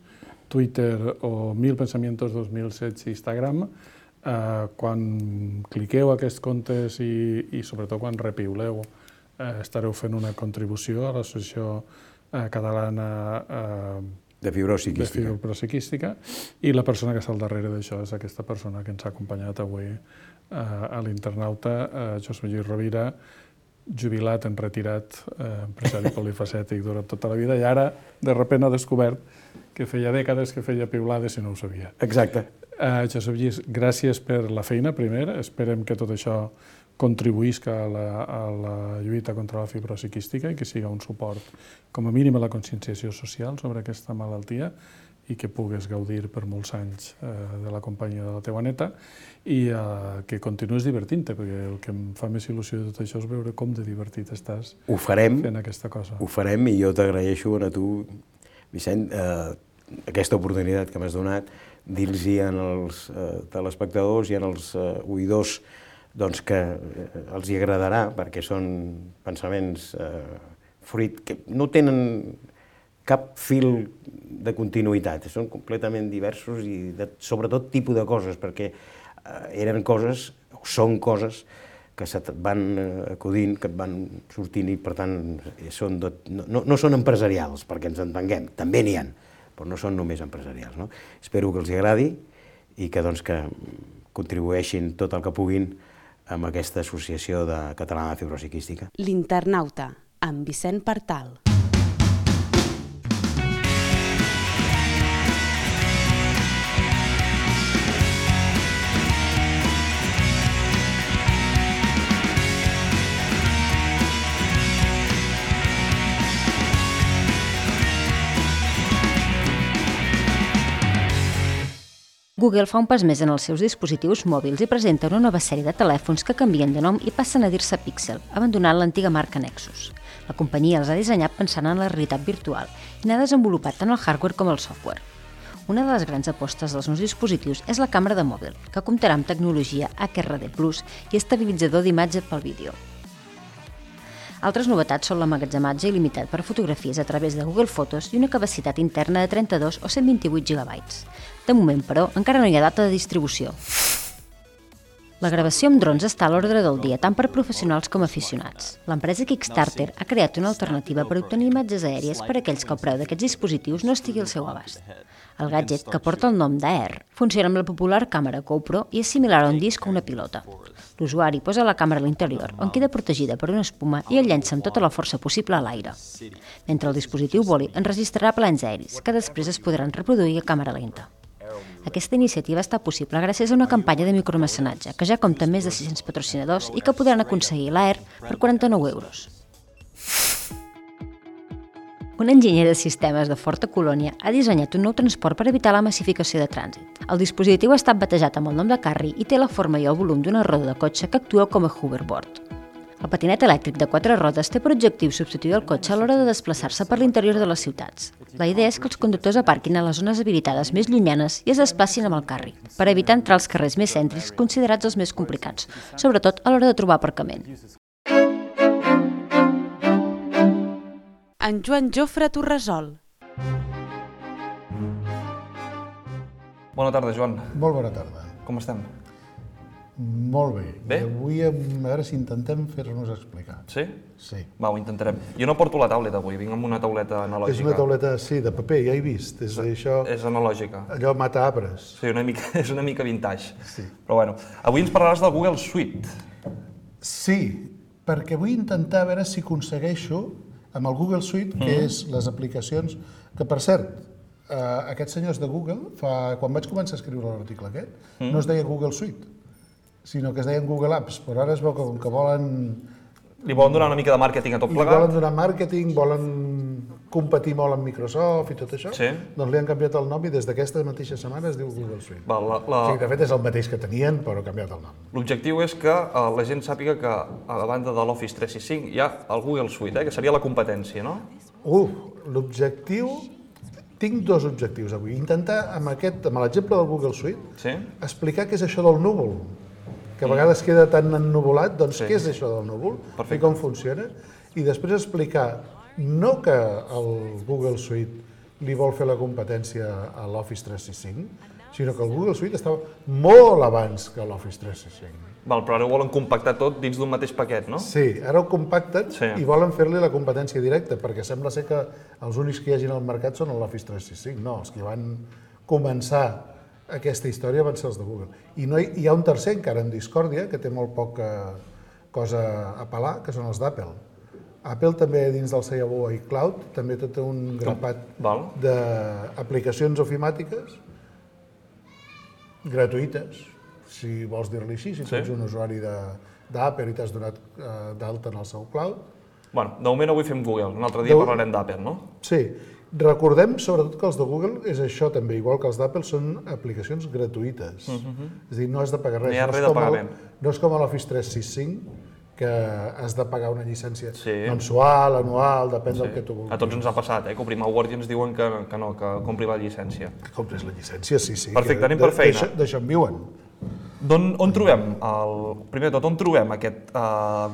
Twitter o Mil Pensamientos dos mil setze Instagram. Uh, quan cliqueu aquests comptes i, i sobretot quan repiuleu, uh, estareu fent una contribució a l'Associació uh, Catalana uh, de Fibrosi Quística, i la persona que està al darrere d'això és aquesta persona que ens ha acompanyat avui a l'internauta, Josep Lluís Rovira, jubilat, en retirat, empresari polifacètic durant tota la vida, i ara, de sobte, ha descobert que feia dècades que feia piulades i no ho sabia. Exacte. Josep Lluís, gràcies per la feina, primer. Esperem que tot això contribuïsca a la, a la lluita contra la fibrosi quística i que siga un suport, com a mínim, a la conscienciació social sobre aquesta malaltia, i que pugues gaudir per molts anys eh, de la companyia de la teva neta i eh, que continuïs divertint-te, perquè el que em fa més il·lusió de tot això és veure com de divertit estàs ho farem, fent aquesta cosa. Ho farem, i jo t'agraeixo a tu, Vicent, eh, aquesta oportunitat que m'has donat, dir-los als eh, telespectadors i als eh, oïdors doncs, que eh, els hi agradarà, perquè són pensaments eh, fruit que no tenen cap fil de continuïtat, són completament diversos i de sobretot tipus de coses, perquè eren coses, o són coses, que se't van acudint, que et van sortint i, per tant, són de, no, no són empresarials, perquè ens entenguem, també n'hi ha, però no són només empresarials. No? Espero que els agradi i que, doncs, que contribueixin tot el que puguin amb aquesta associació de catalana de fibrosi quística. L'internauta, amb Vicent Partal. Google fa un pas més en els seus dispositius mòbils i presenta una nova sèrie de telèfons que canvien de nom i passen a dir-se Pixel, abandonant l'antiga marca Nexus. La companyia els ha dissenyat pensant en la realitat virtual i n'ha desenvolupat tant el hardware com el software. Una de les grans apostes dels nous dispositius és la càmera de mòbil, que comptarà amb tecnologia H R D plus i estabilitzador d'imatge pel vídeo. Altres novetats són l'emmagatzematge il·limitat per fotografies a través de Google Fotos i una capacitat interna de trenta-dos o cent vint-i-vuit gigabytes. De moment, però, encara no hi ha data de distribució. La gravació amb drons està a l'ordre del dia, tant per professionals com aficionats. L'empresa Kickstarter ha creat una alternativa per obtenir imatges aèries per a aquells que el preu d'aquests dispositius no estigui al seu abast. El gadget, que porta el nom d'Air, funciona amb la popular càmera GoPro i és similar a un disc o una pilota. L'usuari posa la càmera a l'interior, on queda protegida per una espuma i el llença amb tota la força possible a l'aire. Mentre el dispositiu voli, enregistrarà plans aeris, que després es podran reproduir a càmera lenta. Aquesta iniciativa està possible gràcies a una campanya de micromecenatge, que ja compta amb més de sis-cents patrocinadors i que podran aconseguir l'Air per quaranta-nou euros. Un enginyer de sistemes de Forta Colònia ha dissenyat un nou transport per evitar la massificació de trànsit. El dispositiu ha estat batejat amb el nom de Carry i té la forma i el volum d'una roda de cotxe que actua com a hoverboard. El patinet elèctric de quatre rodes té per objectiu substituir el cotxe a l'hora de desplaçar-se per l'interior de les ciutats. La idea és que els conductors aparquin a les zones habilitades més llunyanes i es desplacin amb el Carry, per evitar entrar als carrers més cèntrics considerats els més complicats, sobretot a l'hora de trobar aparcament. En Joan Jofre Torresol. Bona tarda, Joan. Molt bona tarda. Com estem? Molt bé. Bé? I avui, a veure si intentem fer-nos explicar. Sí? Sí. Va, ho intentarem. Jo no porto la tauleta avui, vinc amb una tauleta analògica. És una tauleta, sí, de paper, ja he vist. És això... És analògica. Allò mata arbres. Sí, una mica, és una mica vintage. Sí. Però bueno, avui ens parlaràs del Google Suite. Sí, perquè vull intentar veure si aconsegueixo amb el Google Suite, que és les aplicacions, que per cert, eh, aquests senyors de Google, fa, quan vaig començar a escriure l'article aquest, mm. no es deia Google Suite, sinó que es deien Google Apps, però ara es veu que com que volen... Li volen donar una mica de màrqueting a tot plegat? Li volen donar màrqueting, volen competir molt amb Microsoft i tot això, sí. Doncs li han canviat el nom i des d'aquesta mateixa setmana es diu Google Suite. Va, la, la... O sigui, de fet és el mateix que tenien, però ha canviat el nom. L'objectiu és que uh, la gent sàpiga que a banda de l'Office tres seixanta-cinc hi ha el Google Suite, eh, que seria la competència, no? Uh, l'objectiu tinc dos objectius avui. Intentar, amb l'exemple del Google Suite, explicar què és això del núvol, que a vegades queda tan ennuvolat, doncs què és això del núvol i com funciona, i després explicar no que el Google Suite li vol fer la competència a l'Office tres sis cinc, sinó que el Google Suite estava molt abans que l'Office tres sis cinc. Val, però ara ho volen compactar tot dins d'un mateix paquet, no? Sí, ara ho compacten i volen fer-li la competència directa, perquè sembla ser que els únics que hi hagin al mercat són l'Office tres sis cinc. No, els que van començar aquesta història van ser els de Google. I no hi, hi ha un tercer encara en discòrdia, que té molt poca cosa a pelar, que són els d'Apple. Apple també, dins del seu iCloud, també té un grapat d'aplicacions ofimàtiques gratuïtes, si vols dir-li així, si tu ets un usuari d'Apple i t'has donat d'alta en el seu cloud. Bueno, de moment avui fem Google, un altre dia parlarem d'Apple, no? Sí. Recordem, sobretot, que els de Google és això també, igual que els d'Apple, són aplicacions gratuïtes. És a dir, no has de pagar res. No hi ha res de pagament. No és com a l'Office tres sis cinc, que has de pagar una llicència mensual, anual, depèn del que tu vulguis. A tots ens ha passat, que obrim el Word i ens diuen que no, que compri la llicència. Que compris la llicència, sí, sí. Perfecte, anem per feina. D'això en viuen. On trobem, primer de tot, on trobem aquest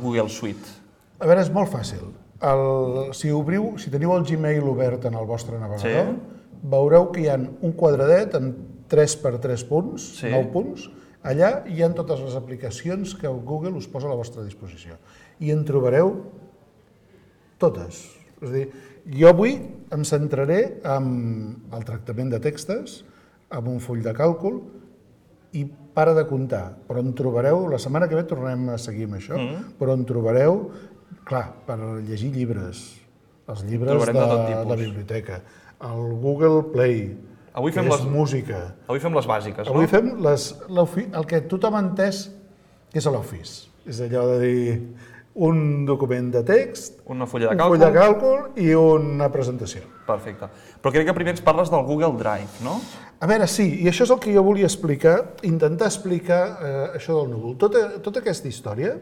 Google Suite? A veure, és molt fàcil. Si obriu, si teniu el Gmail obert en el vostre navegador, veureu que hi ha un quadradet amb tres per tres punts, nou punts. Allà hi ha totes les aplicacions que Google us posa a la vostra disposició. I en trobareu totes. És a dir, jo avui em centraré en el tractament de textos, amb un full de càlcul, i para de comptar. Però en trobareu, la setmana que ve tornarem a seguir amb això, però en trobareu, clar, per llegir llibres, els llibres de la biblioteca, el Google Play, que és música. Avui fem les bàsiques, no? Avui fem el que tothom ha entès que és l'Office. És allò de dir un document de text, un full de càlcul i una presentació. Perfecte. Però crec que primer ens parles del Google Drive, no? A veure, sí, i això és el que jo volia explicar, intentar explicar això del núvol. Tota aquesta història,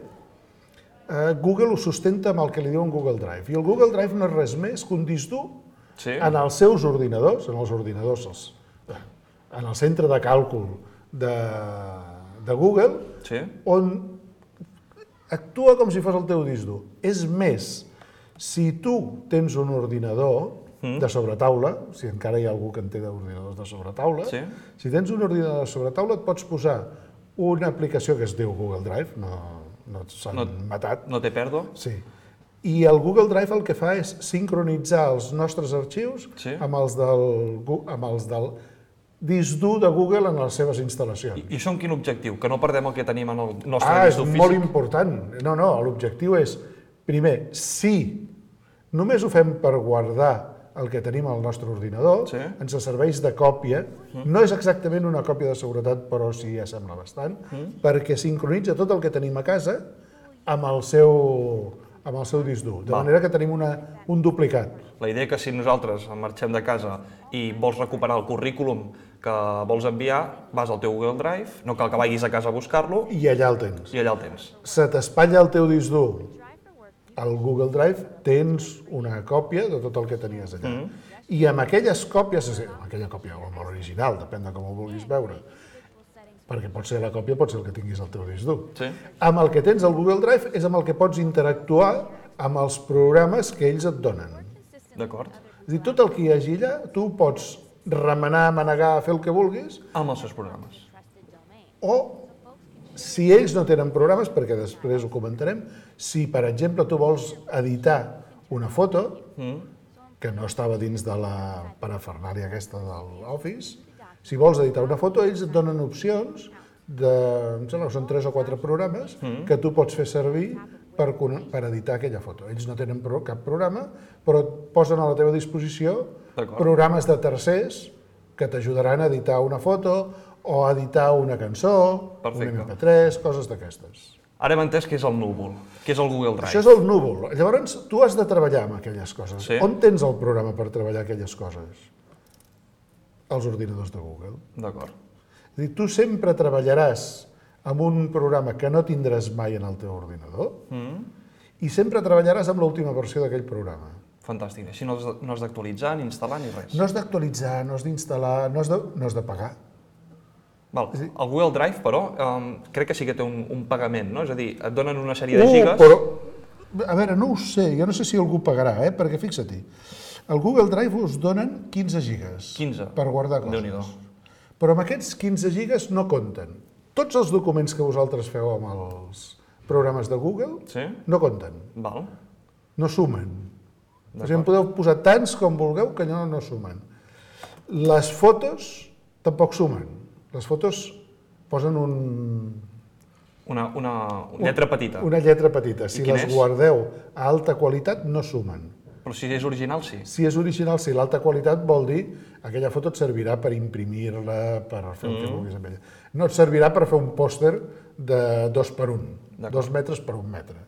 Google ho sustenta amb el que li diuen Google Drive. I el Google Drive no és res més que un disc dur en els seus ordinadors, en els ordinadors, en el centre de càlcul de Google, on actua com si fos el teu disc dur. És més, si tu tens un ordinador de sobretaula, si encara hi ha algú que en té d'ordinadors de sobretaula, si tens un ordinador de sobretaula et pots posar una aplicació que es diu Google Drive, no s'han matat. No té pèrdua? Sí. I el Google Drive el que fa és sincronitzar els nostres arxius amb els del disc dur de Google en les seves instal·lacions. I això amb quin objectiu? Que no perdem el que tenim en el nostre Ah, disc dur és físic? molt important. No, no, l'objectiu és, primer, si només ho fem per guardar el que tenim al nostre ordinador, ens serveix de còpia. No és exactament una còpia de seguretat, però sí sembla bastant, perquè sincronitza tot el que tenim a casa amb el seu... amb el seu disc dur, de manera que tenim un duplicat. La idea que si nosaltres marxem de casa i vols recuperar el currículum que vols enviar, vas al teu Google Drive, no cal que vagis a casa a buscar-lo... I allà el tens. I allà el tens. Se t'espatlla el teu disc dur al Google Drive, tens una còpia de tot el que tenies allà. I amb aquelles còpies, amb aquella còpia o amb l'original, depèn de com ho vulguis veure, perquè pot ser la còpia, pot ser el que tinguis al teu disc dur. Amb el que tens al Google Drive és amb el que pots interactuar amb els programes que ells et donen. D'acord. És a dir, tot el que hi hagi allà, tu pots remenar, manegar, fer el que vulguis. Amb els seus programes. O, si ells no tenen programes, perquè després ho comentarem, si, per exemple, tu vols editar una foto, que no estava dins de la parafernàlia aquesta de l'Office, si vols editar una foto, ells et donen opcions de, em sembla que són tres o quatre programes que tu pots fer servir per, per editar aquella foto. Ells no tenen pro, cap programa, però et posen a la teva disposició programes de tercers que t'ajudaran a editar una foto o a editar una cançó, un eme pe tres, coses d'aquestes. Ara hem entès què és el núvol, què és el Google Drive. Això és el núvol. Llavors, tu has de treballar amb aquelles coses. On tens el programa per treballar aquelles coses? Els ordinadors de Google. D'acord. És a dir, tu sempre treballaràs amb un programa que no tindràs mai en el teu ordinador i sempre treballaràs amb l'última versió d'aquell programa. Fantàstic. Així no has d'actualitzar, ni instal·lar, ni res. No has d'actualitzar, no has d'instal·lar, no has de pagar. Val. El Google Drive, però, crec que sí que té un pagament, no? És a dir, et donen una sèrie de gigas... Però, a veure, no ho sé, jo no sé si algú pagarà, eh? Perquè fixa-t'hi, al Google Drive us donen quinze gigas per guardar coses. Déu-n'hi-do. Però amb aquests quinze gigas no compten. Tots els documents que vosaltres feu amb els programes de Google no compten. Val. No sumen. O sigui, en podeu posar tants com vulgueu que no, no sumen. Les fotos tampoc sumen. Les fotos posen un... Una, una lletra petita. Una lletra petita. Si les guardeu a alta qualitat, no sumen. Però si és original, sí. Si és original, sí. L'alta qualitat vol dir aquella foto et servirà per imprimir-la, per fer el que vulguis amb ella. No et servirà per fer un pòster de dos per un, dos metres per un metre.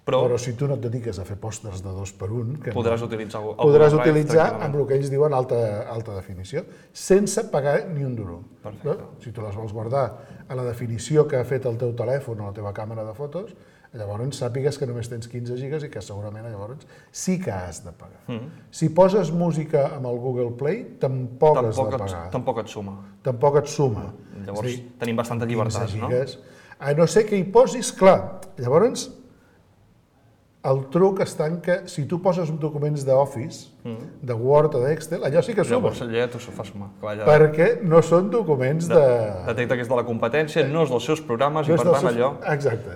Però, Però si tu no et dediques a fer pòsters de dos per un, que podràs no, utilitzar, podràs utilitzar amb el que ells diuen alta, alta definició, sense pagar ni un duro. Perfecte. No? Si tu les vols guardar a la definició que ha fet el teu telèfon o la teva càmera de fotos, llavors sàpigues que només tens quinze gigas i que segurament llavors sí que has de pagar. Mm. Si poses música amb el Google Play, tampoc, tampoc has de pagar. Et, tampoc et suma. Tampoc et suma. Llavors dir, tenim bastanta llibertat, no? A no ser que hi posis, clar, llavors el truc està en que si tu poses documents d'Office, mm. de Word o d'Excel, allò sí que suma. Llavors allà t'ho fa sumar. Perquè no són documents de... Detecta que és de la competència, no és dels seus programes i per tant allò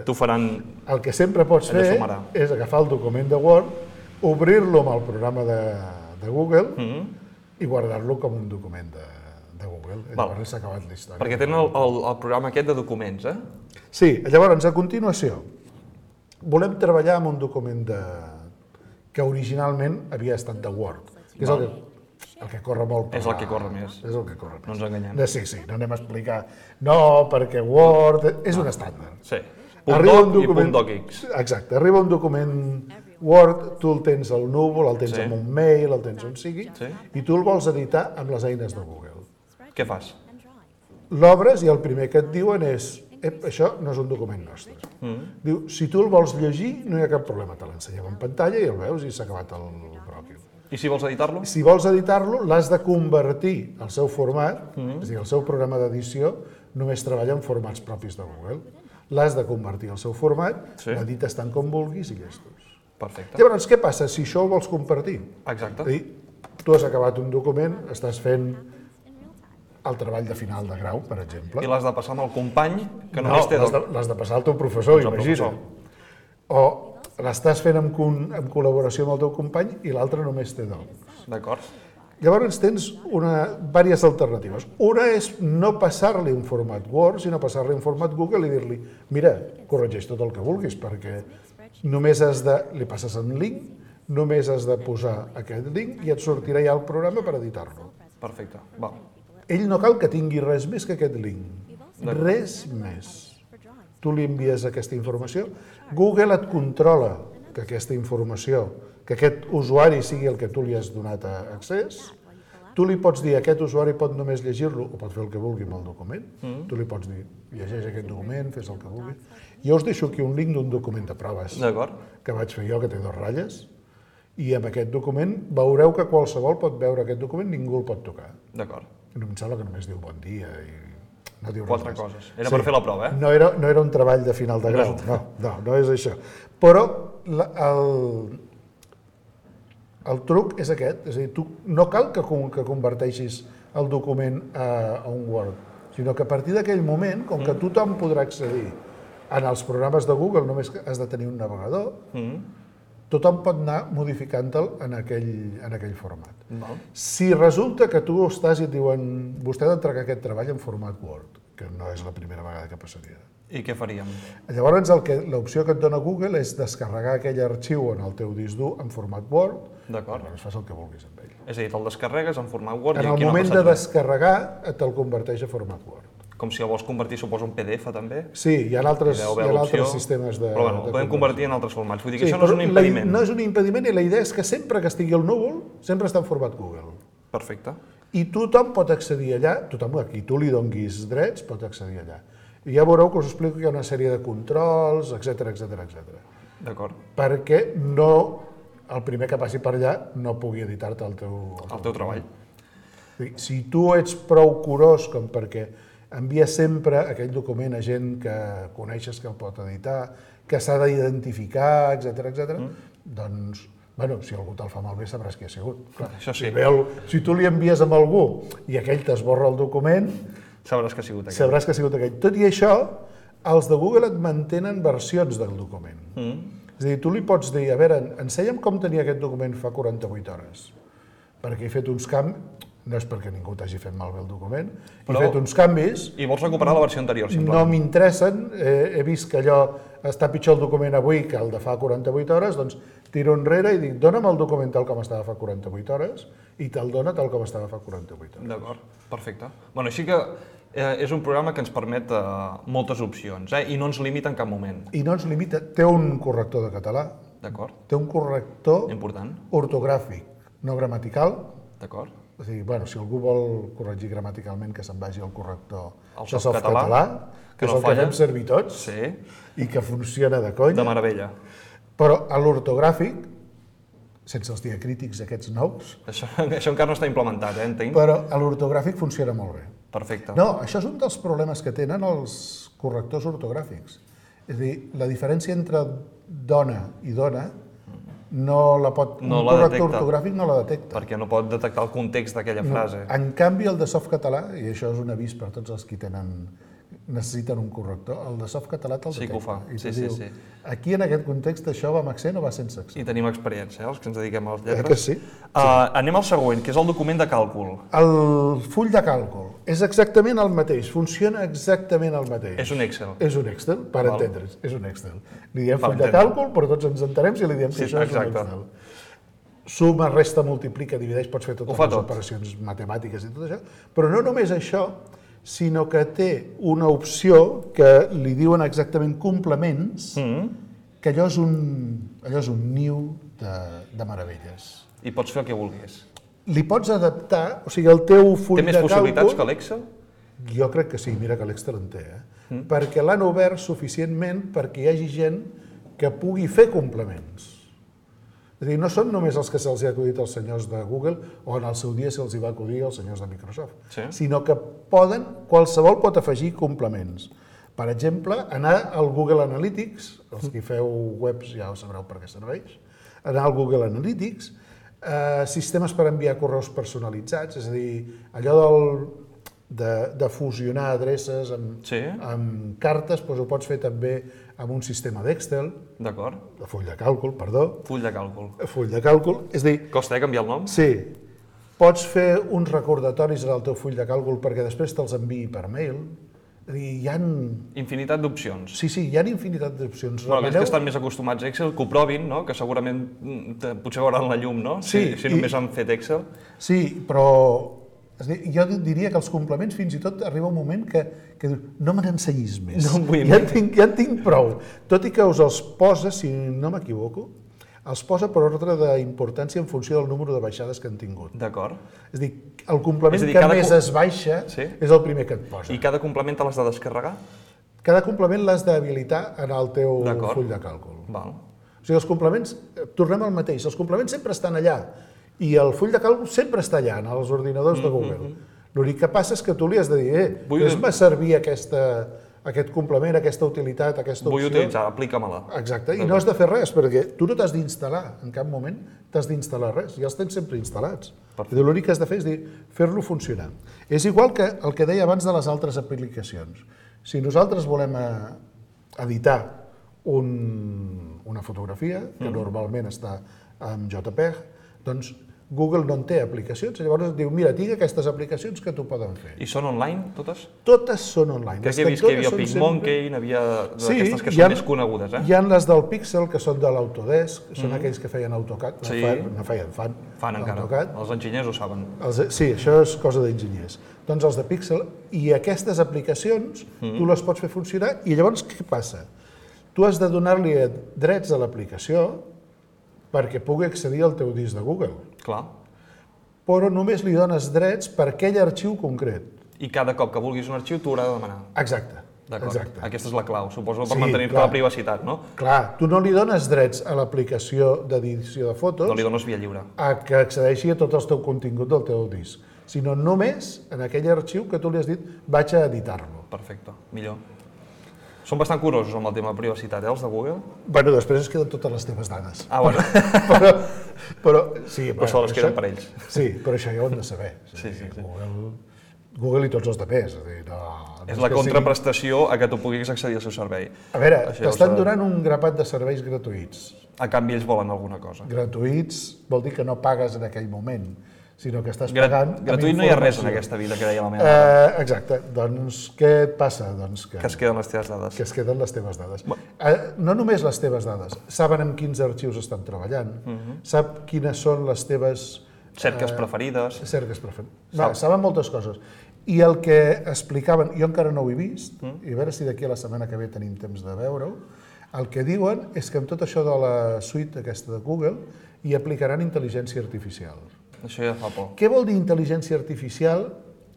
t'ho faran... El que sempre pots fer és agafar el document de Word, obrir-lo amb el programa de Google i guardar-lo com un document de Google. Llavors s'ha acabat la història. Perquè tenen el programa aquest de documents, eh? Sí, llavors a continuació volem treballar amb un document que originalment havia estat de Word, que és el que corre molt. És el que corre més. És el que corre més. No ens enganyem. Sí, sí, no anem a explicar. No, perquè Word és un estàndard. Sí, punt doc i punt docx. Exacte, arriba un document Word, tu el tens al núvol, el tens en un mail, el tens on sigui, i tu el vols editar amb les eines de Google. Què fas? L'obres i el primer que et diuen és això no és un document nostre. Diu, si tu el vols llegir, no hi ha cap problema, te l'ensenyem en pantalla i el veus i s'ha acabat el bròquil. I si vols editar-lo? Si vols editar-lo, l'has de convertir al seu format, és a dir, el seu programa d'edició només treballa en formats propis de Google. L'has de convertir al seu format, l'edites tant com vulguis i llestos. Perfecte. Llavors, què passa si això ho vols compartir? Exacte. És a dir, tu has acabat un document, estàs fent el treball de final de grau, per exemple. I l'has de passar amb el company que només té doc. No, l'has de passar al teu professor, imagina't. O l'estàs fent en col·laboració amb el teu company i l'altre només té doc. D'acord. Llavors tens diverses alternatives. Una és no passar-li un format Word, sinó passar-li un format Google i dir-li mira, corregeix tot el que vulguis, perquè només has de... li passes un link, només has de posar aquest link i et sortirà ja el programa per editar-lo. Perfecte, va. Ell no cal que tingui res més que aquest link. Res més. Tu li envies aquesta informació, Google et controla que aquesta informació, que aquest usuari sigui el que tu li has donat accés, tu li pots dir aquest usuari pot només llegir-lo o pot fer el que vulgui amb el document, tu li pots dir llegeix aquest document, fes el que vulgui. Jo us deixo aquí un link d'un document de proves que vaig fer jo, que té dues ratlles, i amb aquest document veureu que qualsevol pot veure aquest document, ningú el pot tocar. D'acord. Em sembla que només diu bon dia i no diu res Quatre coses. Era per fer la prova, eh? No era, no era un treball de final de grau, no, no, no és això. Però la, el, el truc és aquest, és a dir, tu no cal que, que converteixis el document a, a un Word, sinó que a partir d'aquell moment, com que tothom podrà accedir en els programes de Google, només has de tenir un navegador, mm. tothom pot anar modificant-te'l en, aquell, en aquell format. Val. Si resulta que tu estàs i et diuen vostè ha d'entregar aquest treball en format Word, que no és la primera vegada que passaria. I què faríem? Llavors, l'opció que et dona Google és descarregar aquell arxiu en el teu disc dur en format Word. D'acord. Llavors fas el que vulguis amb ell. És a dir, te'l descarregues en format Word en i aquí no el moment de descarregar, te'l converteix a format Word. Com si el vols convertir, suposo, en P D F també? Sí, hi ha altres, hi ha altres sistemes de... Però bueno, el podem convertir en altres formats. Vull dir que sí, això no és un impediment. La, no és un impediment i la idea és que sempre que estigui al núvol, sempre està en format Google. Perfecte. I tothom pot accedir allà, tothom a qui tu li donguis drets pot accedir allà. I ja veureu que us explico que hi ha una sèrie de controls, etcètera, etcètera, etcètera. D'acord. Perquè no el primer que passi per allà no pugui editar-te el teu... El teu treball. Si tu ets prou curós com perquè envies sempre aquell document a gent que coneixes que el pot editar, que s'ha d'identificar, etcètera, etcètera, doncs, bueno, si algú te'l fa malbé sabràs qui ha sigut. Clar, això sí. Si, el, si tu li envies amb algú i aquell t'esborra el document, sabràs que ha sigut aquell. Sabràs que ha sigut aquell. Tot i això, els de Google et mantenen versions del document. Mm. És a dir, tu li pots dir, a veure, ensenya'm com tenia aquest document fa quaranta-vuit hores, perquè he fet uns canvis, no és perquè ningú t'hagi fet malbé el document, però, he fet uns canvis... I vols recuperar la versió anterior, simplement. No m'interessen, eh, he vist que allò està pitjor el document avui que el de fa quaranta-vuit hores, doncs tiro enrere i dic, dona'm el document tal com estava fa quaranta-vuit hores i te'l dona tal com estava fa quaranta-vuit hores. D'acord, perfecte. Bueno, així que eh, és un programa que ens permet eh, moltes opcions, eh, i no ens limita en cap moment. I no ens limita, té un corrector de català, d'acord, té un corrector important, ortogràfic, no gramatical. D'acord. És a dir, bueno, si algú vol corregir gramaticalment, que se'n vagi al corrector el de Softcatalà, que, que és no el falla. que fem servir tots, sí. I que funciona de conya. De meravella. Però a l'ortogràfic, sense els diacrítics aquests nous... Això, això encara no està implementat, eh, entenc? Però a l'ortogràfic funciona molt bé. Perfecte. No, això és un dels problemes que tenen els correctors ortogràfics. És a dir, la diferència entre dona i dona no la pot... No un la corrector detecta, ortogràfic no la detecta. perquè no pot detectar el context d'aquella No. frase. En canvi, el de Softcatalà, i això és un avís per tots els que tenen, necessiten un corrector, el de Softcatalà te'l detecta. Sí que ho fa, I sí, te sí, diu, sí. Aquí en aquest context això va amb accent o va sense accent? I tenim experiència, eh, els que ens dediquem a les lletres. Eh que sí? Uh, anem al següent, que és el document de càlcul. El full de càlcul és exactament el mateix, funciona exactament el mateix. És un Excel. És un Excel, per Val. entendre's, és un Excel. Li diem Per full de entendre. càlcul, però tots ens entenem si li diem que Sí, això és exacte. un Excel. Suma, resta, multiplica, divideix, pots fer totes Ho fa les tot. operacions matemàtiques i tot això, però no només això, sinó que té una opció que li diuen exactament complements, Mm. que allò és un, allò és un niu de, de meravelles. I pots fer el que vulguis. Li pots adaptar, o sigui, el teu full Té més de possibilitats càlcul... que l'Excel? Jo crec que sí, mira que l'Excel en té, eh? Mm. Perquè l'han obert suficientment perquè hi hagi gent que pugui fer complements. És a dir, no són només els que se'ls ha acudit als senyors de Google o en el seu dia se'ls hi va acudir als senyors de Microsoft, Sí. sinó que poden, qualsevol pot afegir complements. Per exemple, anar al Google Analytics, els que feu webs ja ho sabreu per què serveix, anar al Google Analytics, eh, sistemes per enviar correus personalitzats, és a dir, allò del, de, de fusionar adreces amb, Sí. amb cartes, doncs ho pots fer també amb un sistema d'Excel, D'acord. de full de càlcul, perdó, Full de càlcul. full de càlcul, és a dir, Costa, eh, canviar el nom? sí, pots fer uns recordatoris en el teu full de càlcul perquè després te'ls enviï per mail, és a dir, hi ha... Infinitat d'opcions. Sí, sí, hi ha infinitat d'opcions. Bueno, aquells Remeneu- que estan més acostumats a Excel, que ho provin, no? Que segurament mm, te- potser veuran la llum, no? Sí, Si, si i- només han fet Excel. Sí, però és a dir, jo diria que els complements fins i tot arriba un moment que, que dius, no me n'ensenyis més, No en vull ja, en més." tinc, ja en tinc prou. Tot i que us els posa, si no m'equivoco, els posa per ordre d'importància en funció del número de baixades que han tingut. D'acord. És a dir, el complement És a dir, que cada més co- es baixa Sí. és el primer que et posa. I cada complement te l'has de descarregar? Cada complement l'has d'habilitar en el teu D'acord. full de càlcul. Val. O sigui, els complements, eh, tornem al mateix, els complements sempre estan allà i el full de càlcul sempre està allà, en els ordinadors de Google. L'únic que passa és que tu li has de dir, eh, Vull- fes-me servir aquesta, aquest complement, aquesta utilitat, aquesta Vull opció. utilitzar, aplica-me-la. Exacte, i no has de fer res, perquè tu no t'has d'instal·lar, en cap moment t'has d'instal·lar res, ja els tens sempre instal·lats. Perfecte. L'únic que has de fer és dir, fer-lo funcionar. És igual que el que deia abans de les altres aplicacions. Si nosaltres volem eh, editar un, una fotografia, que normalment està en JPEG, doncs Google no en té aplicacions, llavors et diu, mira, tinc aquestes aplicacions que t'ho poden fer. I són online, totes? Totes són online. Crec Les que he vist que hi havia totes són PicMonkey, n'hi havia Sí, d'aquestes que hi són ha- més conegudes, eh? Hi ha les del Pixel, que són de l'Autodesk, són aquells que feien AutoCAD, no, Sí. fan, no feien, fan, Fan encara. AutoCAD. Els enginyers ho saben. Els, sí, això és cosa d'enginyers. Doncs els de Pixel, i aquestes aplicacions tu les pots fer funcionar, i llavors què passa? Tu has de donar-li drets a l'aplicació perquè pugui accedir al teu disc de Google, Clar. però només li dones drets per aquell arxiu concret. I cada cop que vulguis un arxiu t'ho haurà de demanar. Exacte. D'acord, Exacte. aquesta és la clau, suposo, per Sí, mantenir-te clar. la privacitat, no? Clar, tu no li dones drets a l'aplicació d'edició de fotos No li dones via lliure. a que accedeixi a tot el teu contingut del teu disc, sinó només en aquell arxiu que tu li has dit vaig a editar-lo. Perfecte, millor. Són bastant curosos amb el tema de privacitat, eh, els de Google? Bueno, després es queden totes les teves dades. Ah, bueno. però, però, sí, Però això les queden per ells. Sí, però això ja ho hem de saber. Sí, sí, sí. Google, Google i tots els altres. És, a dir, no, no És la que contraprestació a que tu puguis accedir al seu servei. Sigui... A veure, Això t'estan és, donant un grapat de serveis gratuïts. A canvi ells volen alguna cosa. Gratuïts vol dir que no pagues en aquell moment, sinó que estàs Gra pagant... amb gratuït no hi ha res en informació. aquesta vida, que deia la meva mare. Eh, exacte. Doncs què et passa? Doncs que, Que es queden les teves dades. que es queden les teves dades. Eh, no només les teves dades, saben amb quins arxius estan treballant, sap quines són les teves... Cerques eh, preferides. Cerques preferides. Sap. Va, saben moltes coses. I el que explicaven, jo encara no ho he vist, Mm. i a veure si d'aquí a la setmana que ve tenim temps de veure-ho, el que diuen és que amb tot això de la suite aquesta de Google hi aplicaran intel·ligència artificial. Això ja fa por. Què vol dir intel·ligència artificial?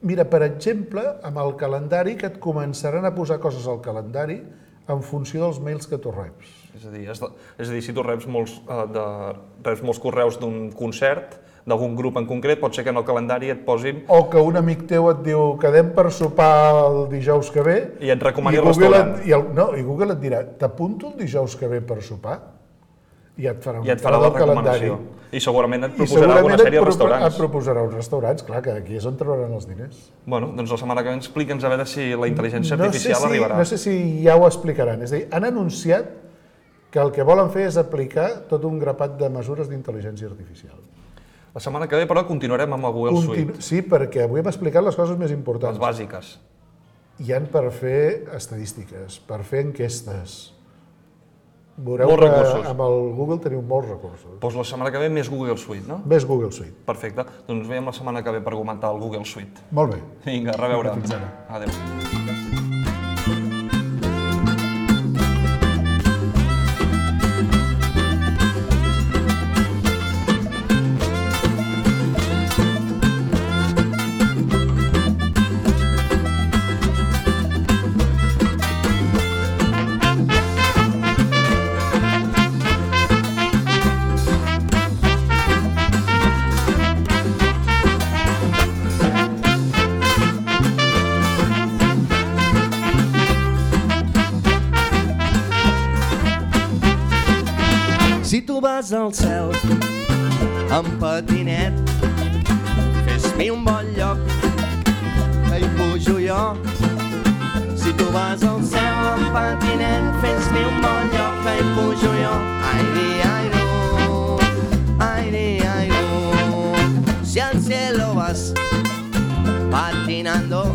Mira, per exemple, amb el calendari, que et començaran a posar coses al calendari en funció dels mails que tu reps. És a dir, és, de, és a dir si tu reps molts, uh, de, reps molts correus d'un concert, d'algun grup en concret, pot ser que en el calendari et posin... O que un amic teu et diu quedem per sopar el dijous que ve... I et recomani i el Google restaurant. Et, i el, no, i Google et dirà, t'apunto el dijous que ve per sopar? I et farà un I et farà la recomanació. I segurament et I proposarà segurament alguna et sèrie de propo- restaurants. Et proposarà uns restaurants, clar, que aquí és on trobaran els diners. Bueno, doncs la setmana que ve explica'ns a veure si la intel·ligència No sé, artificial si, arribarà. no sé si ja ho explicaran. És a dir, han anunciat que el que volen fer és aplicar tot un grapat de mesures d'intel·ligència artificial. La setmana que ve, però, continuarem amb el Google Continu Suite. sí, perquè avui hem explicat les coses més Les importants. bàsiques. Hi han per fer estadístiques, per fer enquestes. Veureu Molts que recursos. amb el Google teniu molts recursos. Doncs la setmana que ve més Google Suite, no? Més Google Suite. Perfecte. Doncs ens veiem la setmana que ve per comentar el Google Suite. Molt bé. Vinga, a reveure. Fins ara. Adéu. Si tu vas al cel amb patinet, fes-mi un bon lloc, que hi pujo jo. Si tu vas al cel amb patinet, fes-mi un bon lloc, que hi pujo jo. Ai, di, ai, no, ai, di, ai, no. Si al cielo vas patinando,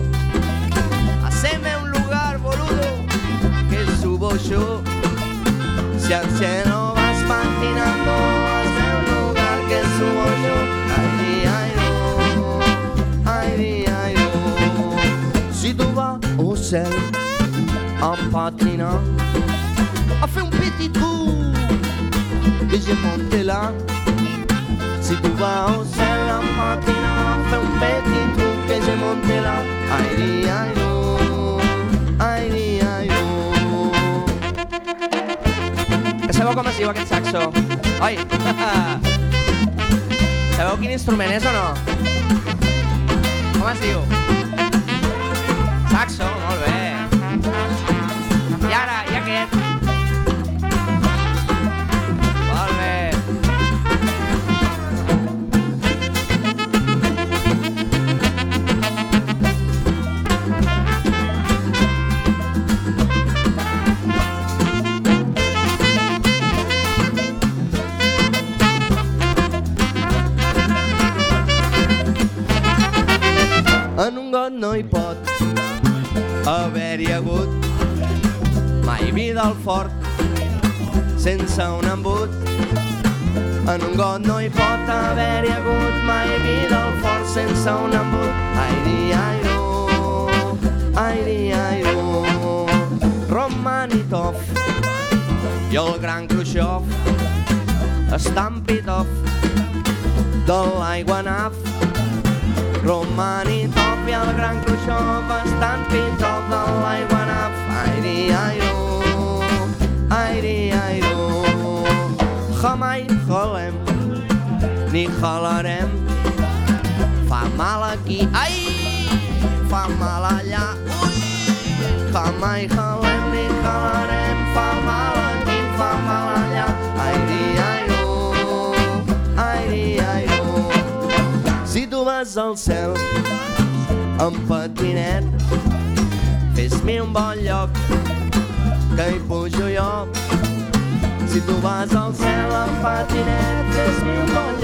haceme un lugar, boludo, que subo yo. Si al cielo vas patinando, hazme un lugar que subo yo. Ay, di, ay, no, ay, di, ay, no. Si tu vas au cel en patinant, a fait un petit trou que j'ai monté là. Si tu vas au cel en patinant, a fait un petit trou que j'ai monté là. Ay, di, ay, no, ay, di, ay, no. Sabeu com es diu aquest saxo? Oi! Sabeu quin instrument és o no? Com es diu? Saxo, molt bé. I ara, i aquest? Molt bé. En un got no hi pot haver-hi hagut mai vida al fort sense un embut. En un got no hi pot haver-hi hagut mai vida al fort sense un embut. Ai, di, ai, no, ai, di, ai, no. Romanitov i el gran Khrushchev estan pitof de l'aiguanaf. Romanitov i el gran Khrushchev estan pitof de l'aiguanaf. Airi-airo, airi-airo. Jamai jalem, ni jalarem. Fa mal aquí, ai, fa mal allà, ui. Jamai jalem, ni jalarem. Fa mal aquí, fa mal allà. Airi-airo, airi-airo. Si tu vas al cel en patinet, fes-me un bon lloc que hi pujo jo. Si tu vas al cel en patinet, fes-me un bon lloc